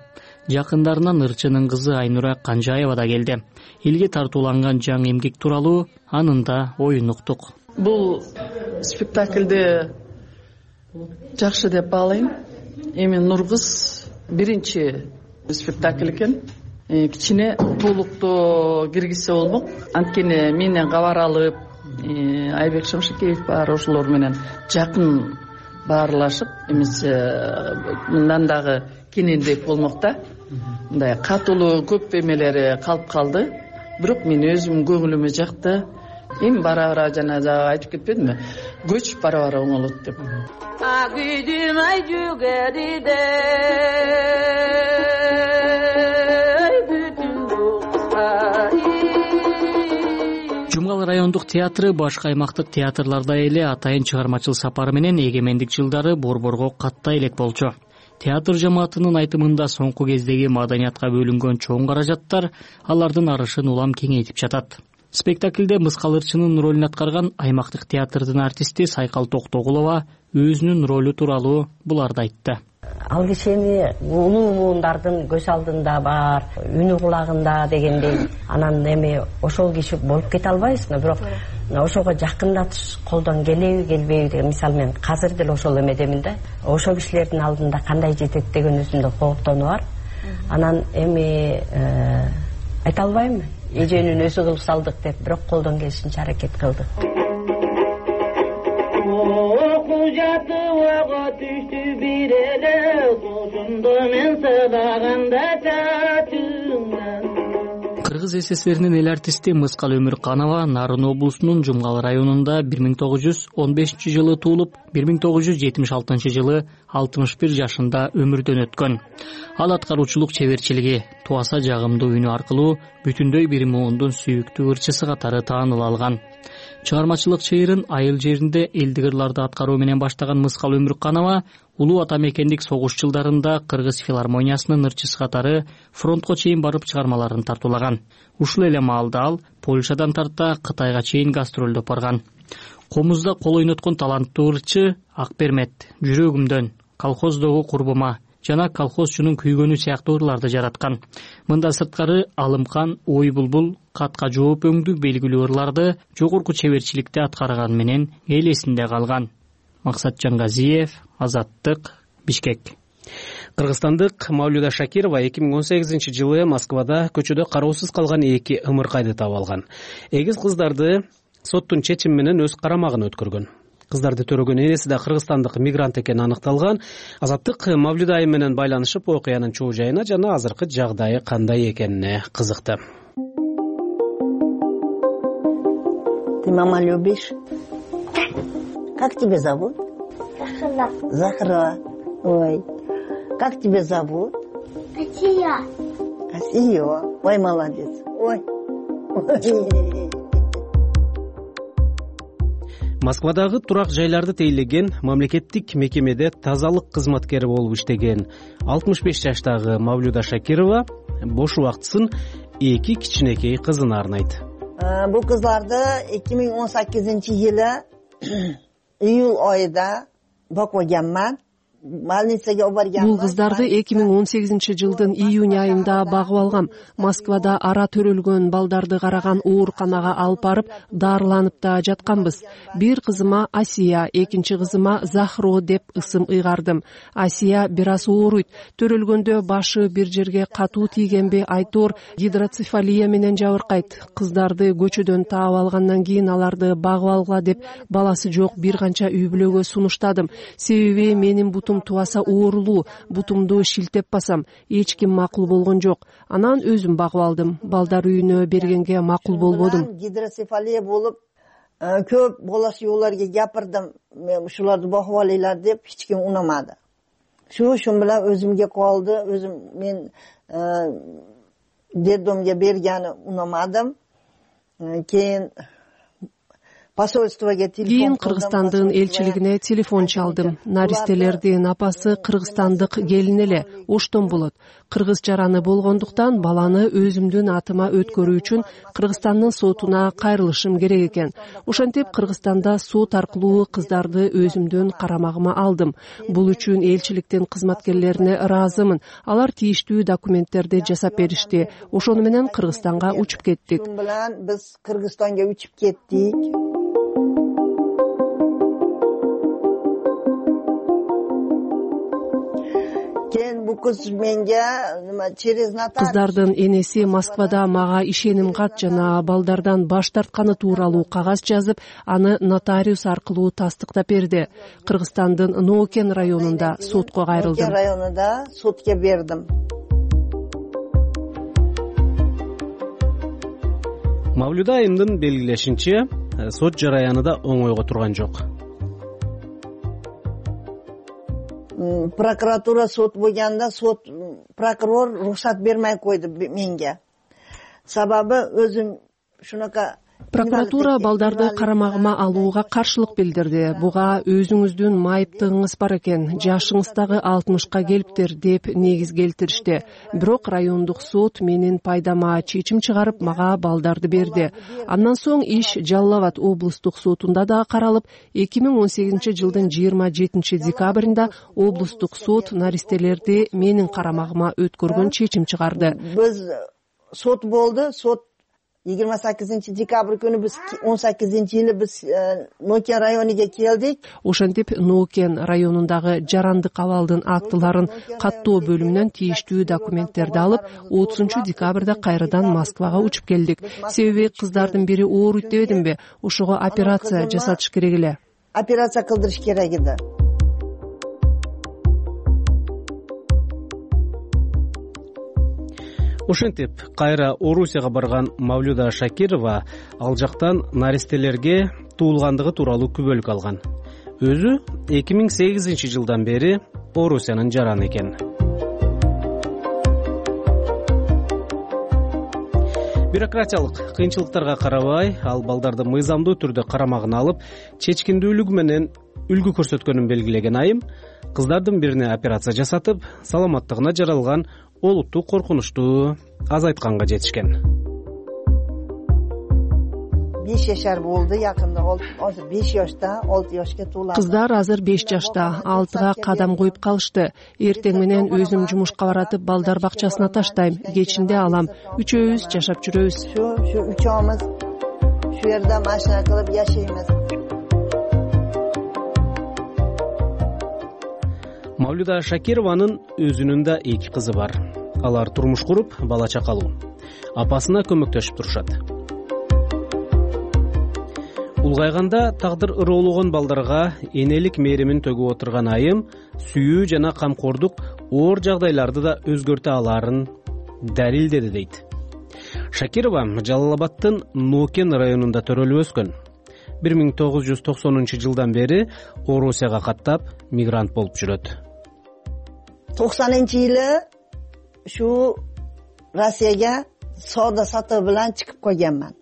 Жакындарынан ырчынын кызы Айнура Канжаева да келди. Элге тартууланган жаңы эмгек тууралуу анын да оюн уктук. Бул спектакльди жакшы деп баалайм. Эми Нургыз биринчи спектакль экен. Кичине толуктоо киргизсе болмок. Анткени менен кабар алып, Айбек Шамшыкеев бар, ошолор менен жакын баарлашып, эмесе мындан дагы кенендеп болмок да. Мындай катылуу көп эмелери калып калды. Бирок мен өзүм көңүлүмө жакты. Эми бара-бара жана айтып кетпедимби? Көч бара-бара оңолот деп. Жумгал райондук театры башка аймактык театрлардай эле атайын чыгармачыл сапары менен эгемендик жылдары борборго каттай элек болчу. Театр жамаатынын айтымында соңку кездеги маданиятка бөлүнгөн чоң каражаттар алардын арышын улам кеңейтип жатат. Спектакльде Мыскал ырчынын ролун аткарган аймактык театрдын артисти Сайкал Токтогулова өзүнүн ролу тууралуу буларды айтты. Ал кишени улуу муундардын көз алдында бар, үнү кулагында дегендей, анан эми ошол киши болуп кете албайбызбы, бирок ошого жакындатыш колдон келеби, келбейби деген, мисалы мен азыр деле ошол эмедемин да. Ошол кишилердин алдында кандай жетет деген өзүмдө кооптонуу бар. Анан эми айта албайм, эженин өзү кылып салдык деп, бирок колдон келишинче аракет кылдык. Кыргыз СССРинин эл артисти Мыскал Өмүрканова Нарын облусунун Жумгал районунда 1915-жылы туулуп, 1976-жылы 61 жашында өмүрдөн өткөн. Ал аткаруучулук чеберчилиги, туаса жагымдуу үнү аркылуу бүтүндөй бир муундун сүйүктүү ырчысы катары тааныла алган. Чыгармачылык чыйырын айыл жеринде элдик ырларды аткаруу менен баштаган Мыскал Өмүрканова улуу ата мекендик согуш жылдарында Кыргыз филармониясынын ырчысы катары фронтко чейин барып чыгармаларын тартуулаган. Ушул эле маалда ал Польшадан тарта Кытайга чейин гастролдоп барган. Комузда кол ойноткон таланттуу ырчы Акбермет, Жүрөгүмдөн, Колхоздогу курбума жана колхозчунун күйгөнү сыяктуу ырларды жараткан. Мындан сырткары Алымкан, Ой булбул, Катка жооп өңдүү белгилүү ырларды жогорку чеберчиликте аткарган менен эл эсинде калган. Максатжан Газиев, Азаттык, Бишкек. Кыргызстандык Мавлюда Шакирова 2018-жылы Москвада көчөдө кароосуз калган 2 ымыркайды таап алган. Эгиз кыздарды соттун чечими менен өз карамагына өткөргөн. Кыздарды төрөгөн энеси да кыргызстандык мигрант экени аныкталган. Азаттык Мавлюда айым менен байланышып, окуянын чоо жайына жана азыркы жагдайы кандай экенине кызыкты. Ты мама любишь? Как тебя зовут? Захара. Ой. Как тебя зовут? Асия. Асия. Ой, молодец. Ой. Москвадагы турак жайларды тейлеген мамлекеттик мекемеде тазалык кызматкери болуп иштеген 65 жаштагы Мавлюда Шакирова бош убактысын 2 кичинекей кызына арнайт. Бул кызларды 2018-жылы июль айында бакыганман. Бул кыздарды 2018-жылдын июнь айында багып алгам. Москвада ара төрөлгөн балдарды караган ооруканага алып барып, дарыланып да жатканбыз. Бир кызыма Асия, экинчи кызыма Захро деп ысым ыйгардым. Асия бир аз ооруйт. Төрөлгөндө башы бир жерге катуу тийгенби, айтор гидроцефалия менен жабыркайт. Кыздарды көчөдөн таап алгандан кийин аларды багып алгыла деп баласы жок бир канча үй бүлөгө сунуштадым. Себеби менин бутум тубаса оорулуу, бутумду шилтеп басам. Эч ким макул болгон жок. Анан өзүм багып алдым. Балдар үйүнө бергенге макул болбодум. Гидроцефалия болуп, көп болашууларга гапырдым. Мен ушуларды багып алайлар деп эч ким унамады. Шун менен өзүмгө калды. Өзүм мен детдомго бергени унамадым. Кийин посольствого телефон. Кийин Кыргызстандын элчилигине телефон чалдым. Наристелердин апасы кыргызстандык келин эле, оштон болот. Кыргыз жараны болгондуктан баланы өзүмдүн атыма өткөрүү үчүн Кыргызстандын сотуна кайрылышым керек экен. Ошентип Кыргызстанда сот аркылуу кыздарды өзүмдүн карамагыма алдым. Бул үчүн элчиликтин кызматкерлерине ыраазымын. Алар тийиштүү документтерди жасап беришти. Ошону менен Кыргызстанга учуп кеттик. Ошон менен биз Кыргызстанга учуп кеттик. Кыздардын энеси Москвада мага ишеним кат жана балдардан баш тартканы тууралуу кагаз жазып, аны нотариус аркылуу тастыктап берди. Кыргызстандын Ноокен районунда сотко кайрылдым. Ноокен районунда сотко бердим. Мавлюда айымдын белгилешинче, сот жараяны да оңойго турган жок. Прокуратура сот болгонда прокурор уруксат бермей койду менге. Сабабы өзүм шунака Прокуратура балдарды карамагыма алууга каршылык билдирди. Буга өзүңүздүн майыптыгыңыз бар экен, жашыңыз дагы 60ка келиптир деп негиз келтиришти. Бирок райондук сот менин пайдама чечим чыгарып, мага балдарды берди. Андан соң иш Жалал Абад облустук сотунда да каралып, 2018-жылдын 27-декабрында облустук сот наристелерди менин карамагыма өткөргөн чечим чыгарды. Биз сот болду, сот 28-декабрь күнү биз 18-жылы биз Ноокен районуна келдик. Ошентип Ноокен районундагы жарандык абалдын актыларын каттоо бөлүмүнөн тийиштүү документтерди алып, 30-декабрда кайрадан Москвага учуп келдик. Себеби кыздардын бири ооруйт дебедимби? Ошого операция жасатыш керек эле. Операция кылдырыш керек эди. Ошентип, кайра Орусияга барган Мавлюда Шакирова ал жактан наристелерге туулгандыгы тууралуу күбөлүк алган. Өзү 2008-жылдан бери Орусиянын жараны экен. Бюрократиялык кыйынчылыктарга карабай, ал балдарды мыйзамдуу түрдө карамагына алып, чечкиндүүлүгү менен үлгү көрсөткөнүн белгилеген айым, кыздардын бирине операция жасатып, саламаттыгына жаралган олутту коркунучту азайтканга жетишкен. 5 жашар болду, якында азыр 5 жашта, 6 жашка толду. Кыздар азыр 5 жашта, 6га кадам коюп калышты. Эртең менен өзүм жумушка баратып, балдар бакчасына таштайм. Кечинде алам. Үчөөбүз жашап жүрөбүз. Şu үчөөбүз şu жерде машина кылып жашайбыз. Мавлюда Шакированын өзүнүн да 2 кызы бар. Алар турмуш куруп, бала чакалуу. Апасына көмөктөшүп турушат. Улгайганда тагдыр ыроологон балдарга энелик мээримин төгүп отурган айым сүйүү жана камкордук оор жагдайларды да өзгөртө алаарын далилдеди дейт. Шакирова Жалал Абадтын Ноокен районунда төрөлүп өскөн. 1990-жылдан бери Орусияга каттап мигрант болуп жүрөт. 90-жылы şu Россияга соода сатуу менен чыгып койгонмун.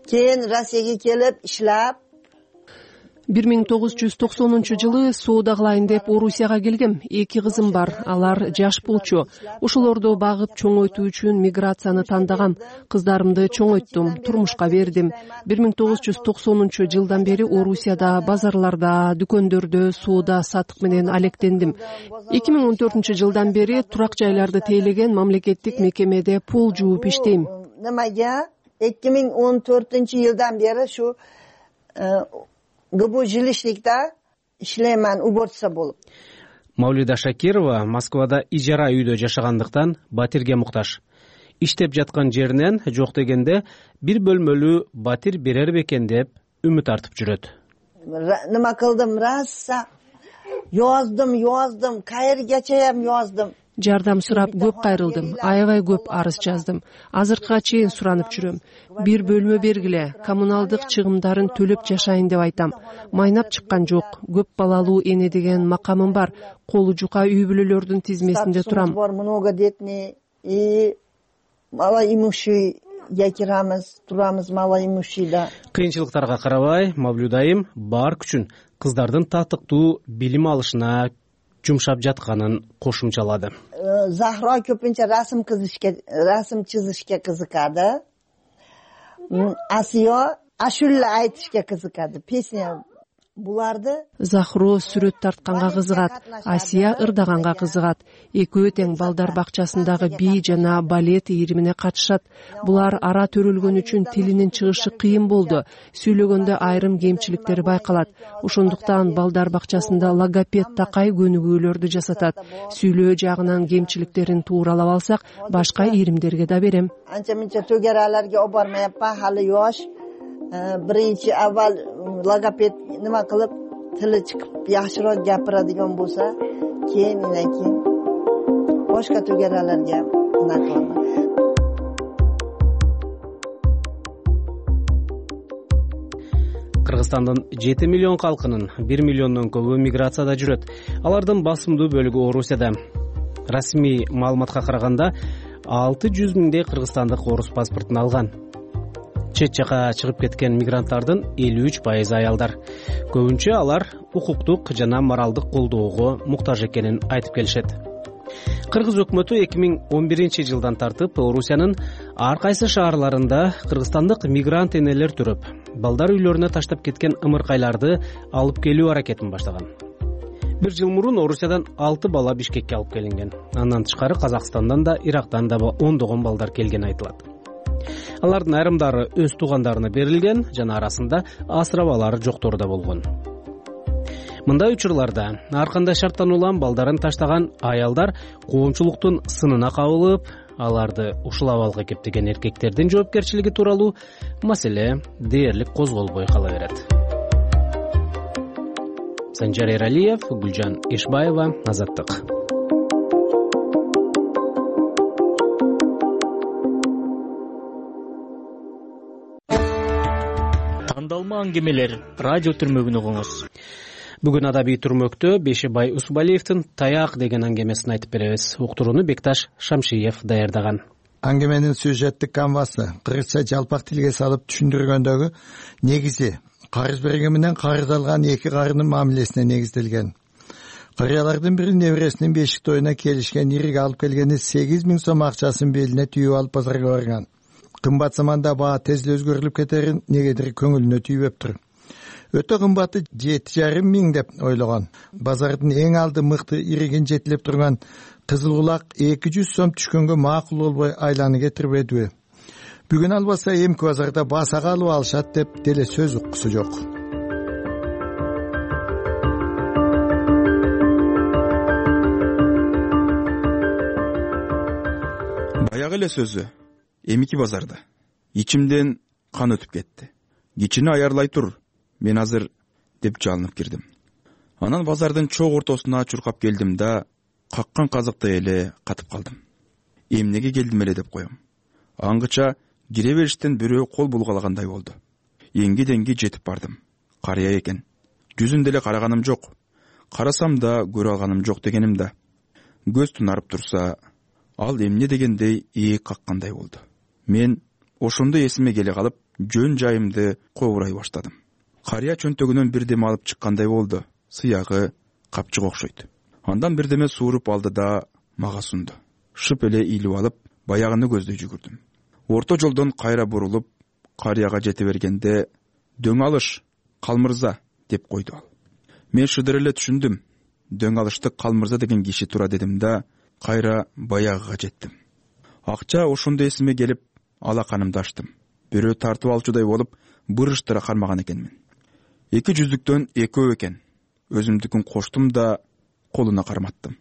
Кийин Россияга келип иштеп 1990-жылы соода кылайын деп Орусияга келгем. 2 кызым бар, алар жаш болчу. Ошолорду багып чоңойтуу үчүн миграцияны тандагам. Кыздарымды чоңойттум, турмушка бердим. 1990-жылдан бери Орусияда базарларда, дүкөндөрдө соода сатык менен алектендим. 2014-жылдан бери турак жайларды тейлеген мамлекеттик мекемеде пол жууп иштейм. Немеге 2014-жылдан бери şu ГБУ жилищникте иштеймин, уборщица болуп. Мавлюда Шакирова Москвада ижара үйдө жашагандыктан батирге муктаж. Иштеп жаткан жеринен жок дегенде бир бөлмөлүү батир берер бекен деп үмүт артып жүрөт. Нема кылдым, раса Yozdum, kayergachayam yozdim. Жардам сурап көп кайрылдым, аябай көп арыз жаздым. Азыркыга чейин суранып жүрөм. Бир бөлмө бергиле, коммуналдык чыгымдарын төлөп жашайын деп айтам. Майнап чыккан жок. Көп балалуу эне деген макамым бар. Колу жука үй бүлөлөрдүн тизмесинде турам. Многодетный и малоимущий якирамыз, турамыз малоимущийда. Кыйынчылыктарга карабай, Мавлюд айым бар күчүн кыздардын татыктуу билим алышына жумшап жатканын кошумчалады. Захро көпүнчө расм чизишке кызыкады. Асиё ашулла айтышка кызыкады. Песня буларды. Захро сүрөт тартканга кызыгат, Асия ырдаганга кызыгат. Экөө тең балдар бакчасындагы би жана балет ийримине катышат. Булар ара төрөлгөн үчүн тилинин чыгышы кыйын болду. Сүйлөгөндө айрым кемчиликтери байкалат. Ошондуктан балдар бакчасында логопед такай көнүгүүлөрдү жасатат. Сүйлөө жагынан кемчиликтерин тууралап алсак, башка ийримдерге да берем. Анча-мынча төгераларга обармайаппа, хали yosh. Birinchi avval logoped nima qilib tili chiqib yaxshiroq gapiradigan bo'lsa, keyin boshqa tugaralarga qilaman. Кыргызстандын 7 миллион калкынын 1 миллиондон көбү миграцияда жүрөт. Алардын басымдуу бөлүгү Орусияда. Расмий маалыматка караганда 600 миңдей кыргызстандык орус паспортун алган. Чет жака чыгып кеткен мигранттардын 53% аялдар. Көбүнчө алар укуктук жана моралдык колдоого муктаж экенин айтып келишет. Кыргыз өкмөтү 2011-жылдан тартып Орусиянын ар кайсы шаарларында кыргызстандык мигрант энелер төрөп, балдар үйлөрүнө таштап кеткен ымыркайларды алып келүү аракетин баштаган. Бир жыл мурун Орусиядан 6 бала Бишкекке алып келинген. Андан тышкары Казакстандан да, Ирактан да ондогон балдар келген айтылат. Алардын айрымдары өз туугандарына берилген, жана арасында асырабалары жоктору да болгон. Мындай учурларда ар кандай шарттан улам балдарын таштаган аялдар коомчулуктун сынына кабылып, аларды ушул абалга кептеген эркектердин жоопкерчилиги тууралуу маселе дээрлик козголбой кала берет. Санжар Эралиев, Гүлжан Ишбаева, Азаттык. Тандалма аңгемелер радио түрмөгүн угуңуз. Бүгүн адабий түрмөктө Бешебай Усубалиевдин Таяк деген аңгемесин айтып беребиз. Уктурууну Бекташ Шамшиев даярдаган. Аңгеменин сюжеттик канвасы кыргызча жалпак тилге салып түшүндүргөндөгү негизи карыз берген менен карыз алган эки карынын мамилесине негизделген. Карыялардын бири небересинин бешик тоюна келишкен ириг алып келгени 8 000 сом акчасын белине түйүп алып базарга барган. Кымбат заманда баа тез эле өзгөрүлүп кетерин негедир көңүлүнө түйбөптүр. Өтө кымбаты 7,5 миң деп ойлогон. Базардын эң алды мыкты иригин жетилеп турган кызыл кулак 200 сом түшкөнгө макул болбой айланы кетирбедиби? Бүгүн албаса эмки базарда басага алып алышат деп деле сөз уккусу жок. Баягы эле сөзү эмики базарда. Ичимден кан өтүп кетти. Кичини аярлай тур, мен азыр деп жалынып кирдим. Анан базардын чоң ортосуна чуркап келдим да, каккан казыктай эле катып калдым. Эмнеге келдим эле деп коем. Аңгыча кире бериштен бирөө кол булгалагандай болду. Эңги-деңги жетип бардым. Карыя экен. Жүзүн деле караганым жок. Карасам да көрө алганым жок дегеним да. Көз тунарып турса, ал эмне дегендей ээк каккандай болду. Мен ошондо эсиме келе калып, жөн жайымды кобурай баштадым. Карыя чөнтөгүнөн бирдеме алып чыккандай болду. Сыягы, капчык окшойт. Андан бирдеме сууруп алды да мага сунду. Шып эле ийилип алып, баягыны көздөй жүгүрдүм. Орто жолдон кайра бурулуп, карыяга жете бергенде, дөң алыш, Калмырза деп койду ал. Мен шыдыр эле түшүндүм. Дөң алышты Калмырза деген киши тура дедим да, кайра баягыга жеттим. Акча ошондо эсиме келип, алаканымды ачтым. Бирөө тартып алчудай болуп, бырыштыра кармаган экенмин. 200-дөн экөө экен. Өзүмдүкүн коштум да колуна карматтым.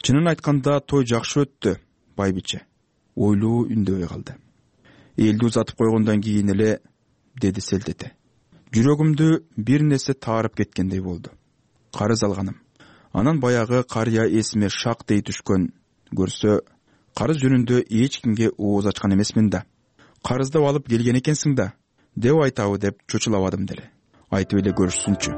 Чынын айтканда той жакшы өттү, байбиче. Ойлуу үндөбөй калды. Элди узатып койгондон кийин эле деди селтете. Жүрөгүмдү бир нерсе таарып кеткендей болду. Карыз алганым. Анан баягы карыя эсиме шак дей түшкөн. Көрсө, карыз жөнүндө эч кимге ооз ачкан эмесмин да. Карыздап алып келген экенсиң да, деп айтабы деп чочулабадым деле. Айтып эле көрүшсүнчү.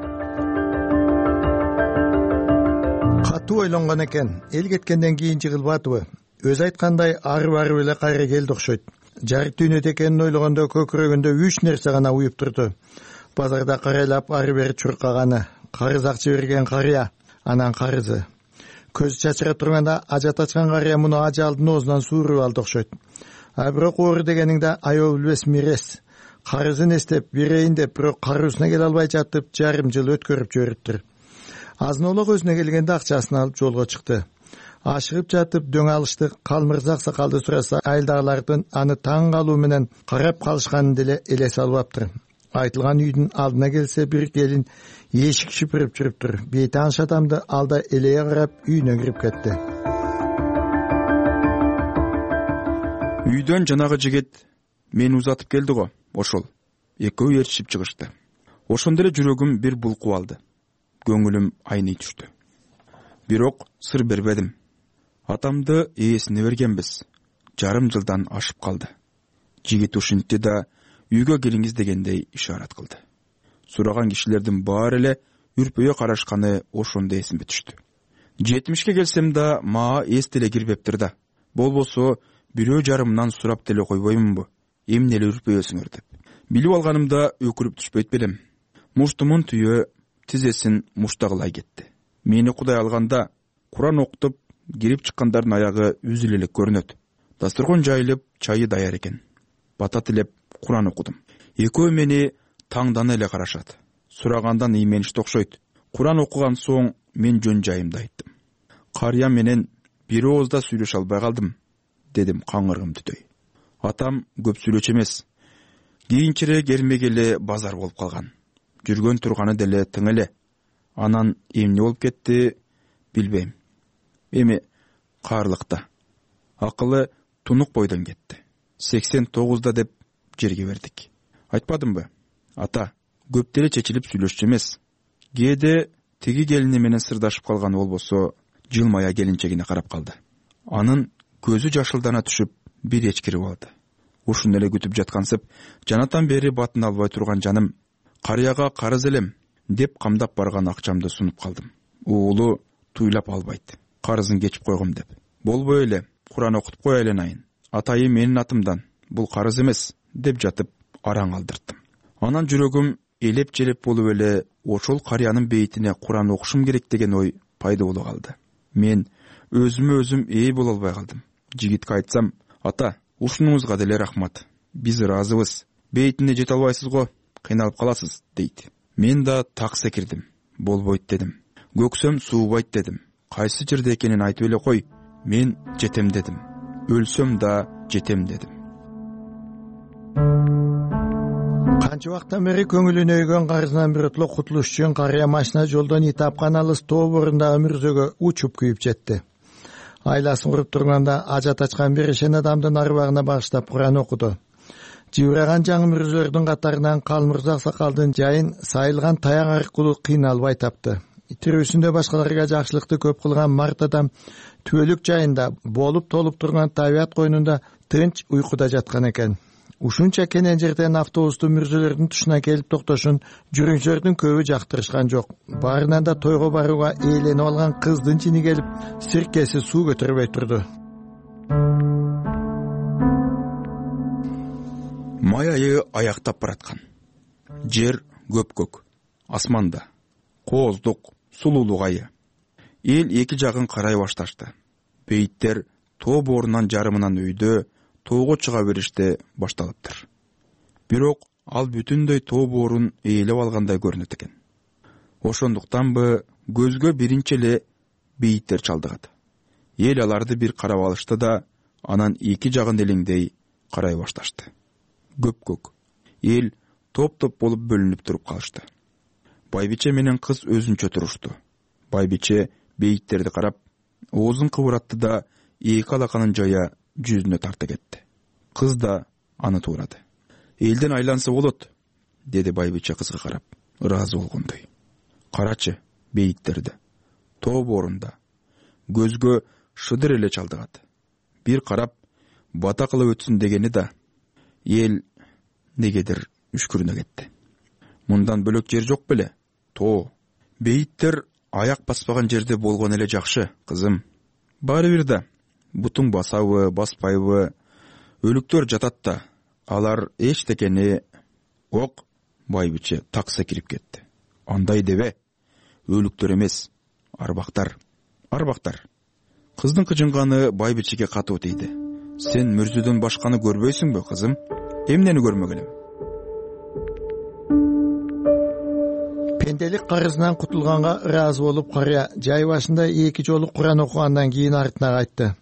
Катуу ойлонгон экен. Эл кеткенден кийин жыгылбатыбы? Өзү айткандай арып эле кайра келди окшойт. Жарык дүйнөдө экенин ойлогондо көкүрөгүндө 3 нерсе гана уюп турду. Базарда карайлап ары бери чуркаганы, карыз акча берген карыя, анан карызы. Көзү чачыра турганда ажат ачкан карыя муну ажалдын оозунан suurуп алды окшойт. А бирок оору дегениңде аябы билбес мирес. Карызын эстеп берейин деп бирок кароосуна келе албай жатып жарым жыл өткөрүп жибериптир. Азынолок өзүнө келгенде акчасын алып жолго чыкты. Ашыгып жатып дөң алышты. Калмырза аксакалды сураса айылдагылардын аны таң калуу менен карап калышканын деле элесе албаптыр. Айтылган үйдүн алдына келсе бир келин эшик шүпүрүп жүрүптүр. Бейти анш адамды алда элее карап үйүнө кирип кетти. Үйдөн жанагы жигит мени узатып келди го, ошол. Экөө ээрчишип чыгышты. Ошондо эле жүрөгүм бир булкуп алды. Көңүлүм айный түштү. Бирок сыр бербедим. Атамды ээсине бергенбиз. Жарым жылдан ашып калды. Жигит ушинтти да үйгө келиңиз дегендей ишарат кылды. Сураган кишилердин баары эле үрпөйө карашканы ошондо эсимге түштү. 70ке келсем да мага эс деле кирбептир да. Болбосо бирөө жарымынан сурап деле койбоймунбу? Эмне эле үрпөйөсүңөр деп. Билип алганымда өкүрүп түшпөйт белем. Муштумун түйө тизесин муштагылай кетти. Мени Кудай алганда Куран окутуп кирип чыккандардын аягы үзүлө элек көрүнөт. Дасторкон жайылып, чайы даяр экен. Бата тилеп Куран окудум. Экөө мени таңдана эле карашат. Сурагандан ийменишти окшойт. Куран окуган соң мен жөн жайымды айттым. Карыя менен бир оозда сүйлөшө албай калдым, дедим каңыргым түтөй. Атам көп сүйлөчү эмес. Кийинчерээк эрмек эле базар болуп калган. Жүргөн турганы деле тың эле. Анан эмне болуп кетти билбейм. Эми каарлыкта. Акылы тунук бойдон кетти. 89да деп жерге бердик. Айтпадымбы? Ата, көп деле чечилип сүйлөшчү эмес. Кээде тиги келини менен сырдашып калган болбосо, жылмая келинчегине карап калды. Анын көзү жашылдана түшүп, бир эчкирип алды. Ушуну эле күтүп жаткансып, жанатан бери батын албай турган жаным, карыяга карыз элем деп камдап барган акчамды сунуп калдым. Уулу туйлап албайт. Карызын кечип койгом деп. Болбой эле, Куран окутуп кой айленайын. Атайы менин атымдан, бул карыз эмес деп жатып араң алдырттым. Анан жүрөгүм элеп-желеп болуп эле ошол карыянын бейтине Куран окушум керек деген ой пайда боло калды. Мен өзүмө өзүм ээ боло албай калдым. Жигитке айтсам, ата, ушунуңузга деле рахмат. Биз ыраазыбыз. Бейтине жете албайсыз го, кыйналып каласыз, дейт. Мен да так секирдим. Болбойт дедим. Көксөм суубайт дедим. Кайсы жерде экенин айтып эле кой. Мен жетем дедим. Өлсөм да жетем дедим. Канча убакыттан бери көңүлүнө өйгөн карызынан биротоло кутулуш үчүн карыя машина жолдон ит тапкан алыс тоо борундагы мүрзөгө учуп күйүп жетти. Айласын куруп турганда ажат ачкан бир ишен адамдын арбагына багыштап Куран окуду. Жыбыраган жаңы мүрзөлөрдүн катарынан Калмырза аксакалдын жайын сайылган таяк аркылуу кыйналбай тапты. Тирүүсүндө башкаларга жакшылыкты көп кылган март адам түбөлүк жайында болуп толуп турган табият койнунда тынч уйкуда жаткан экен. Ушунча кенен жерден автобустун мүрзөлөрдүн тушуна келип токтошун жүргүнчүлөрдүн көбү жактырышкан жок. Баарынан да тойго барууга ээленип алган кыздын чини келип сиркеси суу көтөрбөй турду. Май айы аяктап бараткан. Жер көпкөк, асманда кооздук, сулуулук айы. Эл эки жагын карай башташты. Бейиттер тоо боорунан жарымынан өйдө тоого чыга бериште башталыптыр. Бирок ал бүтүндөй тоо боорун ээлеп алгандай көрүнөт экен. Ошондуктанбы көзгө биринчи эле бейиттер чалдыгат. Эл аларды бир карап алышты да, анан эки жагын элеңдей карай башташты. Көпкөк. Эл топ-топ болуп бөлүнүп туруп калышты. Байбиче менен кыз өзүнчө турушту. Байбиче бейиттерди карап, оозун кыбыратты да эки алаканын жая жүзүнө тарта кетти. Кыз да аны туурады. Элден айланса болот, деди байбиче кызга карап, ыраазы болгондой. Карачы бейиттерди. тоо боорунда көзгө шыдыр эле чалдыгат. Бир карап бата кылып өтсүн дегени да эл негедир үшкүрүнө кетти. Мындан бөлөк жер жок беле? Тоо. Бейиттер аяк баспаган жерде болгон эле жакшы, кызым. Баары бир да бутуң басабы, баспайбы, өлүктөр жатат да, алар эчтекени. Ок, байбиче так секирип кетти. Андай дебе, өлүктөр эмес, арбактар. Арбактар. Кыздын кыжынганы байбичеге катуу тийди. Сен мүрзөдөн башканы көрбөйсүңбү, кызым? Эмнени көрмөгөн элем? Пенделик карызынан кутулганга ыраазы болуп, карыя жай башында 2 жолу Куран окугандан кийин артына кайтты.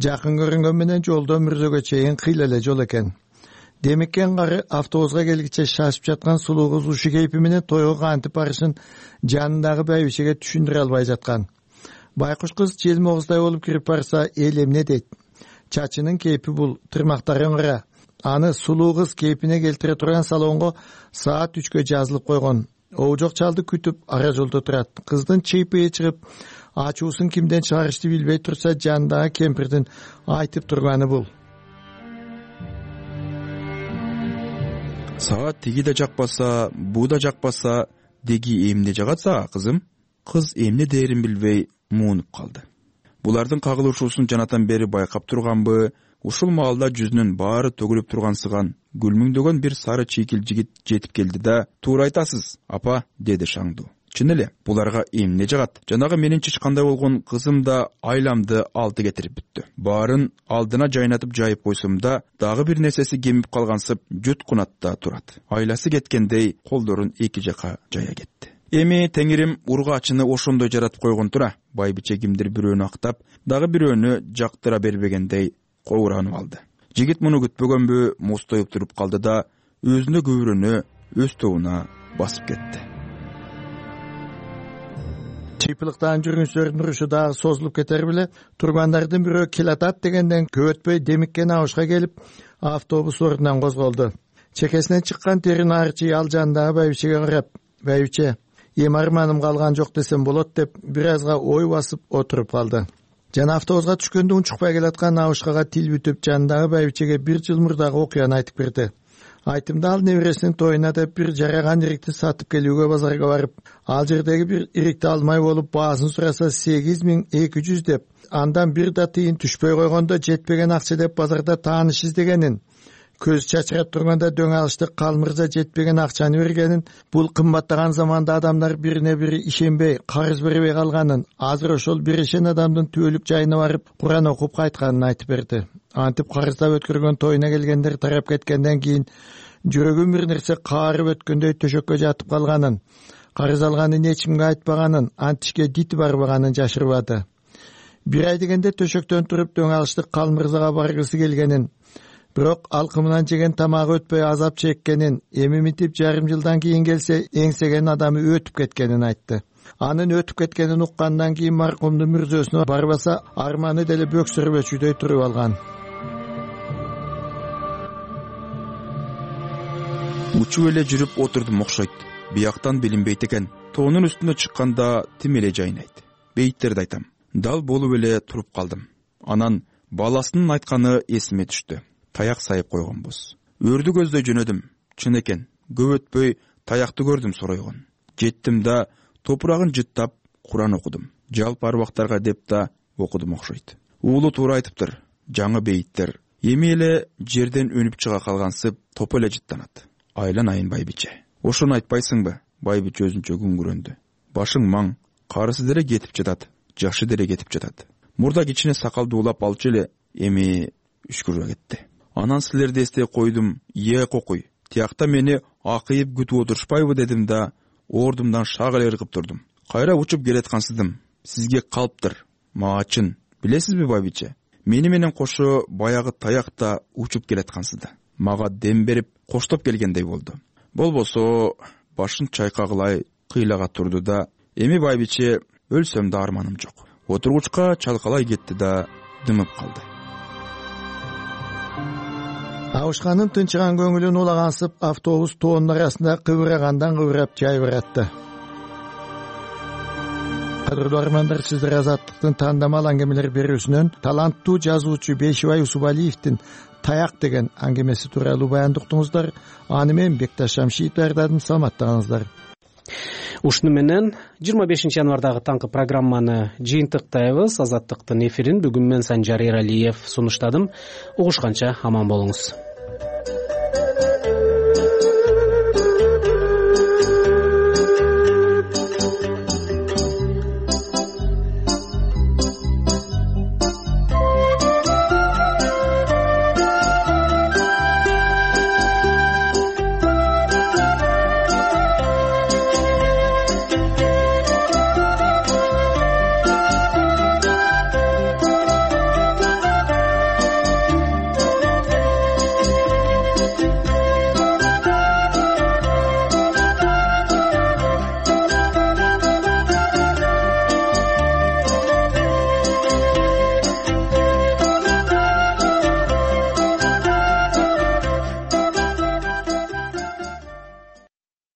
Жакын көрүнгөн менен жолдо мүрзөгө чейин кыйла эле жол экен. Демеккен кары автобуска келгиче шашып жаткан сулуу кыз ушу кейпи менен тойго кантип барышын жанындагы байбичеге түшүндүрө албай жаткан. Байкуш кыз желмогуздай болуп кирип барса, эл эмне дейт? Чачынын кейпи бул, тырмактарын кара. Аны сулуу кыз кейпине келтире турган салонго саат 3кө жазылып койгон. Оожок чалды күтүп ара жолдо турат. Кыздын чыйпыйы чыгып, ачуусун кимден чыгарышты билбей турса, жандагы кемпирдин айтып турганы бул. Саат тиги да жакпаса, бу да жакпаса, деги эмне жагат сага, кызым? Кыз эмне дээрин билбей муунуп калды. Булардын кагылышуусун жанатан бери байкап турганбы? Ушул маалда жүзүнүн баары төгүлүп тургансыган гүлмүңдөгөн бир сары чийкил жигит жетип келди да, "Туура айтасыз, апа", деди шаңдуу. Чын эле, буларга эмне жагат? Жанагы менин чычкандай болгон кызым да айламды алты кетирип бүттү. Баарын алдына жайнатып жайып койсом да, дагы бир нерсеси кемип калгансып, жуткунатта турат. Айласы кеткендей колдорун эки жака жая кетти. Эми Теңирим ургаачыны ошондой жаратып койгон тура. Байбиче кимдир бирөөнү актап, дагы бирөөнү жактыра бербегендей коуранып алды. Жигит муну күтпөгөнбү, мостоюп туруп калды да, өзүнө көбүрөнү өз тобуна басып кетти. Чыйпылыктан жүргүнчүлөрдүн урушу дагы созулуп кетер беле, тургандардын бирөө келатат дегенден көп өтпөй Демиккен абышка келип, автобус ордунан козголду. Чекесинен чыккан терин арчы ал жандагы байбичеге карап, "Байбиче, эми арманым калган жок десем болот" деп бир азга ой басып отуруп калды. Жана автобуска түшкөндө унчукпай келаткан абышкага тил бүтүп, жандагы байбичеге 1 жыл мурдагы окуяны айтып берди. Айтымда ал небересинин тоюна деп бир жараган ирикти сатып келүүгө базарга барып, ал жердеги бир ирикти алмай болуп, баасын сураса 8200 деп, андан бир да тыйын түшпөй койгондо жетпеген акча деп базарда тааныш издегенин, көз чачырап турганда дөң алыштык калмырза жетпеген акчаны бергенин, бул кымбаттаган заманда адамдар бирине бири ишенбей, карыз бербей калганын, азыр ошол биришен адамдын түбөлүк жайына барып Куран окуп кайтканын айтып берди. Антип карыздап өткөргөн тоюна келгендер тарап кеткенден кийин жүрөгүн бир нерсе каарып өткөндөй төшөккө жатып калганын, карыз алганын эч кимге айтпаганын, антишке дити барбаганын жашырбады. Бир ай дегенде төшөктөн туруп дөң алыштык калмырзага баргысы келгенин, бирок алкымынан жеген тамагы өтпөй азап чеккенин, эми митип жарым жылдан кийин келсе эңсеген адамы өтүп кеткенин айтты. Анын өтүп кеткенин уккандан кийин маркумдун мүрзөсүнө барбаса, арманы деле бөксөрбөчүдөй туруп алган. Учуп эле жүрүп отурдум окшойт. Бияктан билинбейт экен. Тоонун үстүнө чыкканда тим эле жайнайт. Бейиттерди айтам. Дал болуп эле туруп калдым. Анан баласынын айтканы эсиме түштү. Таяк сайып койгонбуз. Өрдү көздөй жөнөдүм. Чын экен, көп өтпөй таякты көрдүм соройгон. Жеттим да топурагын жыттап Куран окудум. Жалпы арбактарга деп да окудум окшойт. Уулу туура айтыптыр. Жаңы бейиттер эми эле жерден өнүп чыга калгансып топ эле жыттанат. Айланайын байбиче. Ошону айтпайсыңбы? Байбиче өзүнчө күңгүрөндү. Башың маң, карысы деле кетип жатат, жашы деле кетип жатат. Мурда кичине сакалды улап алчу эле, эми үшкүрө кетти. Анан силерди эстей койдум, кокуй. Тиякта мени акыйып күтүп отурушпайбы дедим да, ордумдан шак эле ыргып турдум. Кайра учуп келаткансыдым. Сизге калыптыр. Мага чын. Билесизби байбиче? Мени менен кошо баягы таякта учуп келаткансыды. Мага дем берип коштоп келгендей болду. Болбосо башын чайкагылай кыйлага турду да, эми байбиче өлсөм да арманым жок. Отургучка чалкалай кетти да дымып калды. Абышканын тынчыган көңүлүн улагансып, автобус тоонун арасында кыбырагандан кыбырап жай баратты. кадырлуу армандар, сиздер Азаттыктын тандамал аңгемелер берүүсүнөн таланттуу жазуучу Бейшибай Усубалиевдин «Таяк» деген аңгемеси тууралуу баянды уктуңуздар. Аны мен Бекташ Шамшиев даярдадым. Саламаттаңыздар. Ушуну менен 25 январдагы таңкы программаны жыйынтыктайбыз. Азаттыктын эфирин бүгүн мен Санжар Эралиев сунуштадым. Угушканча аман болуңуз.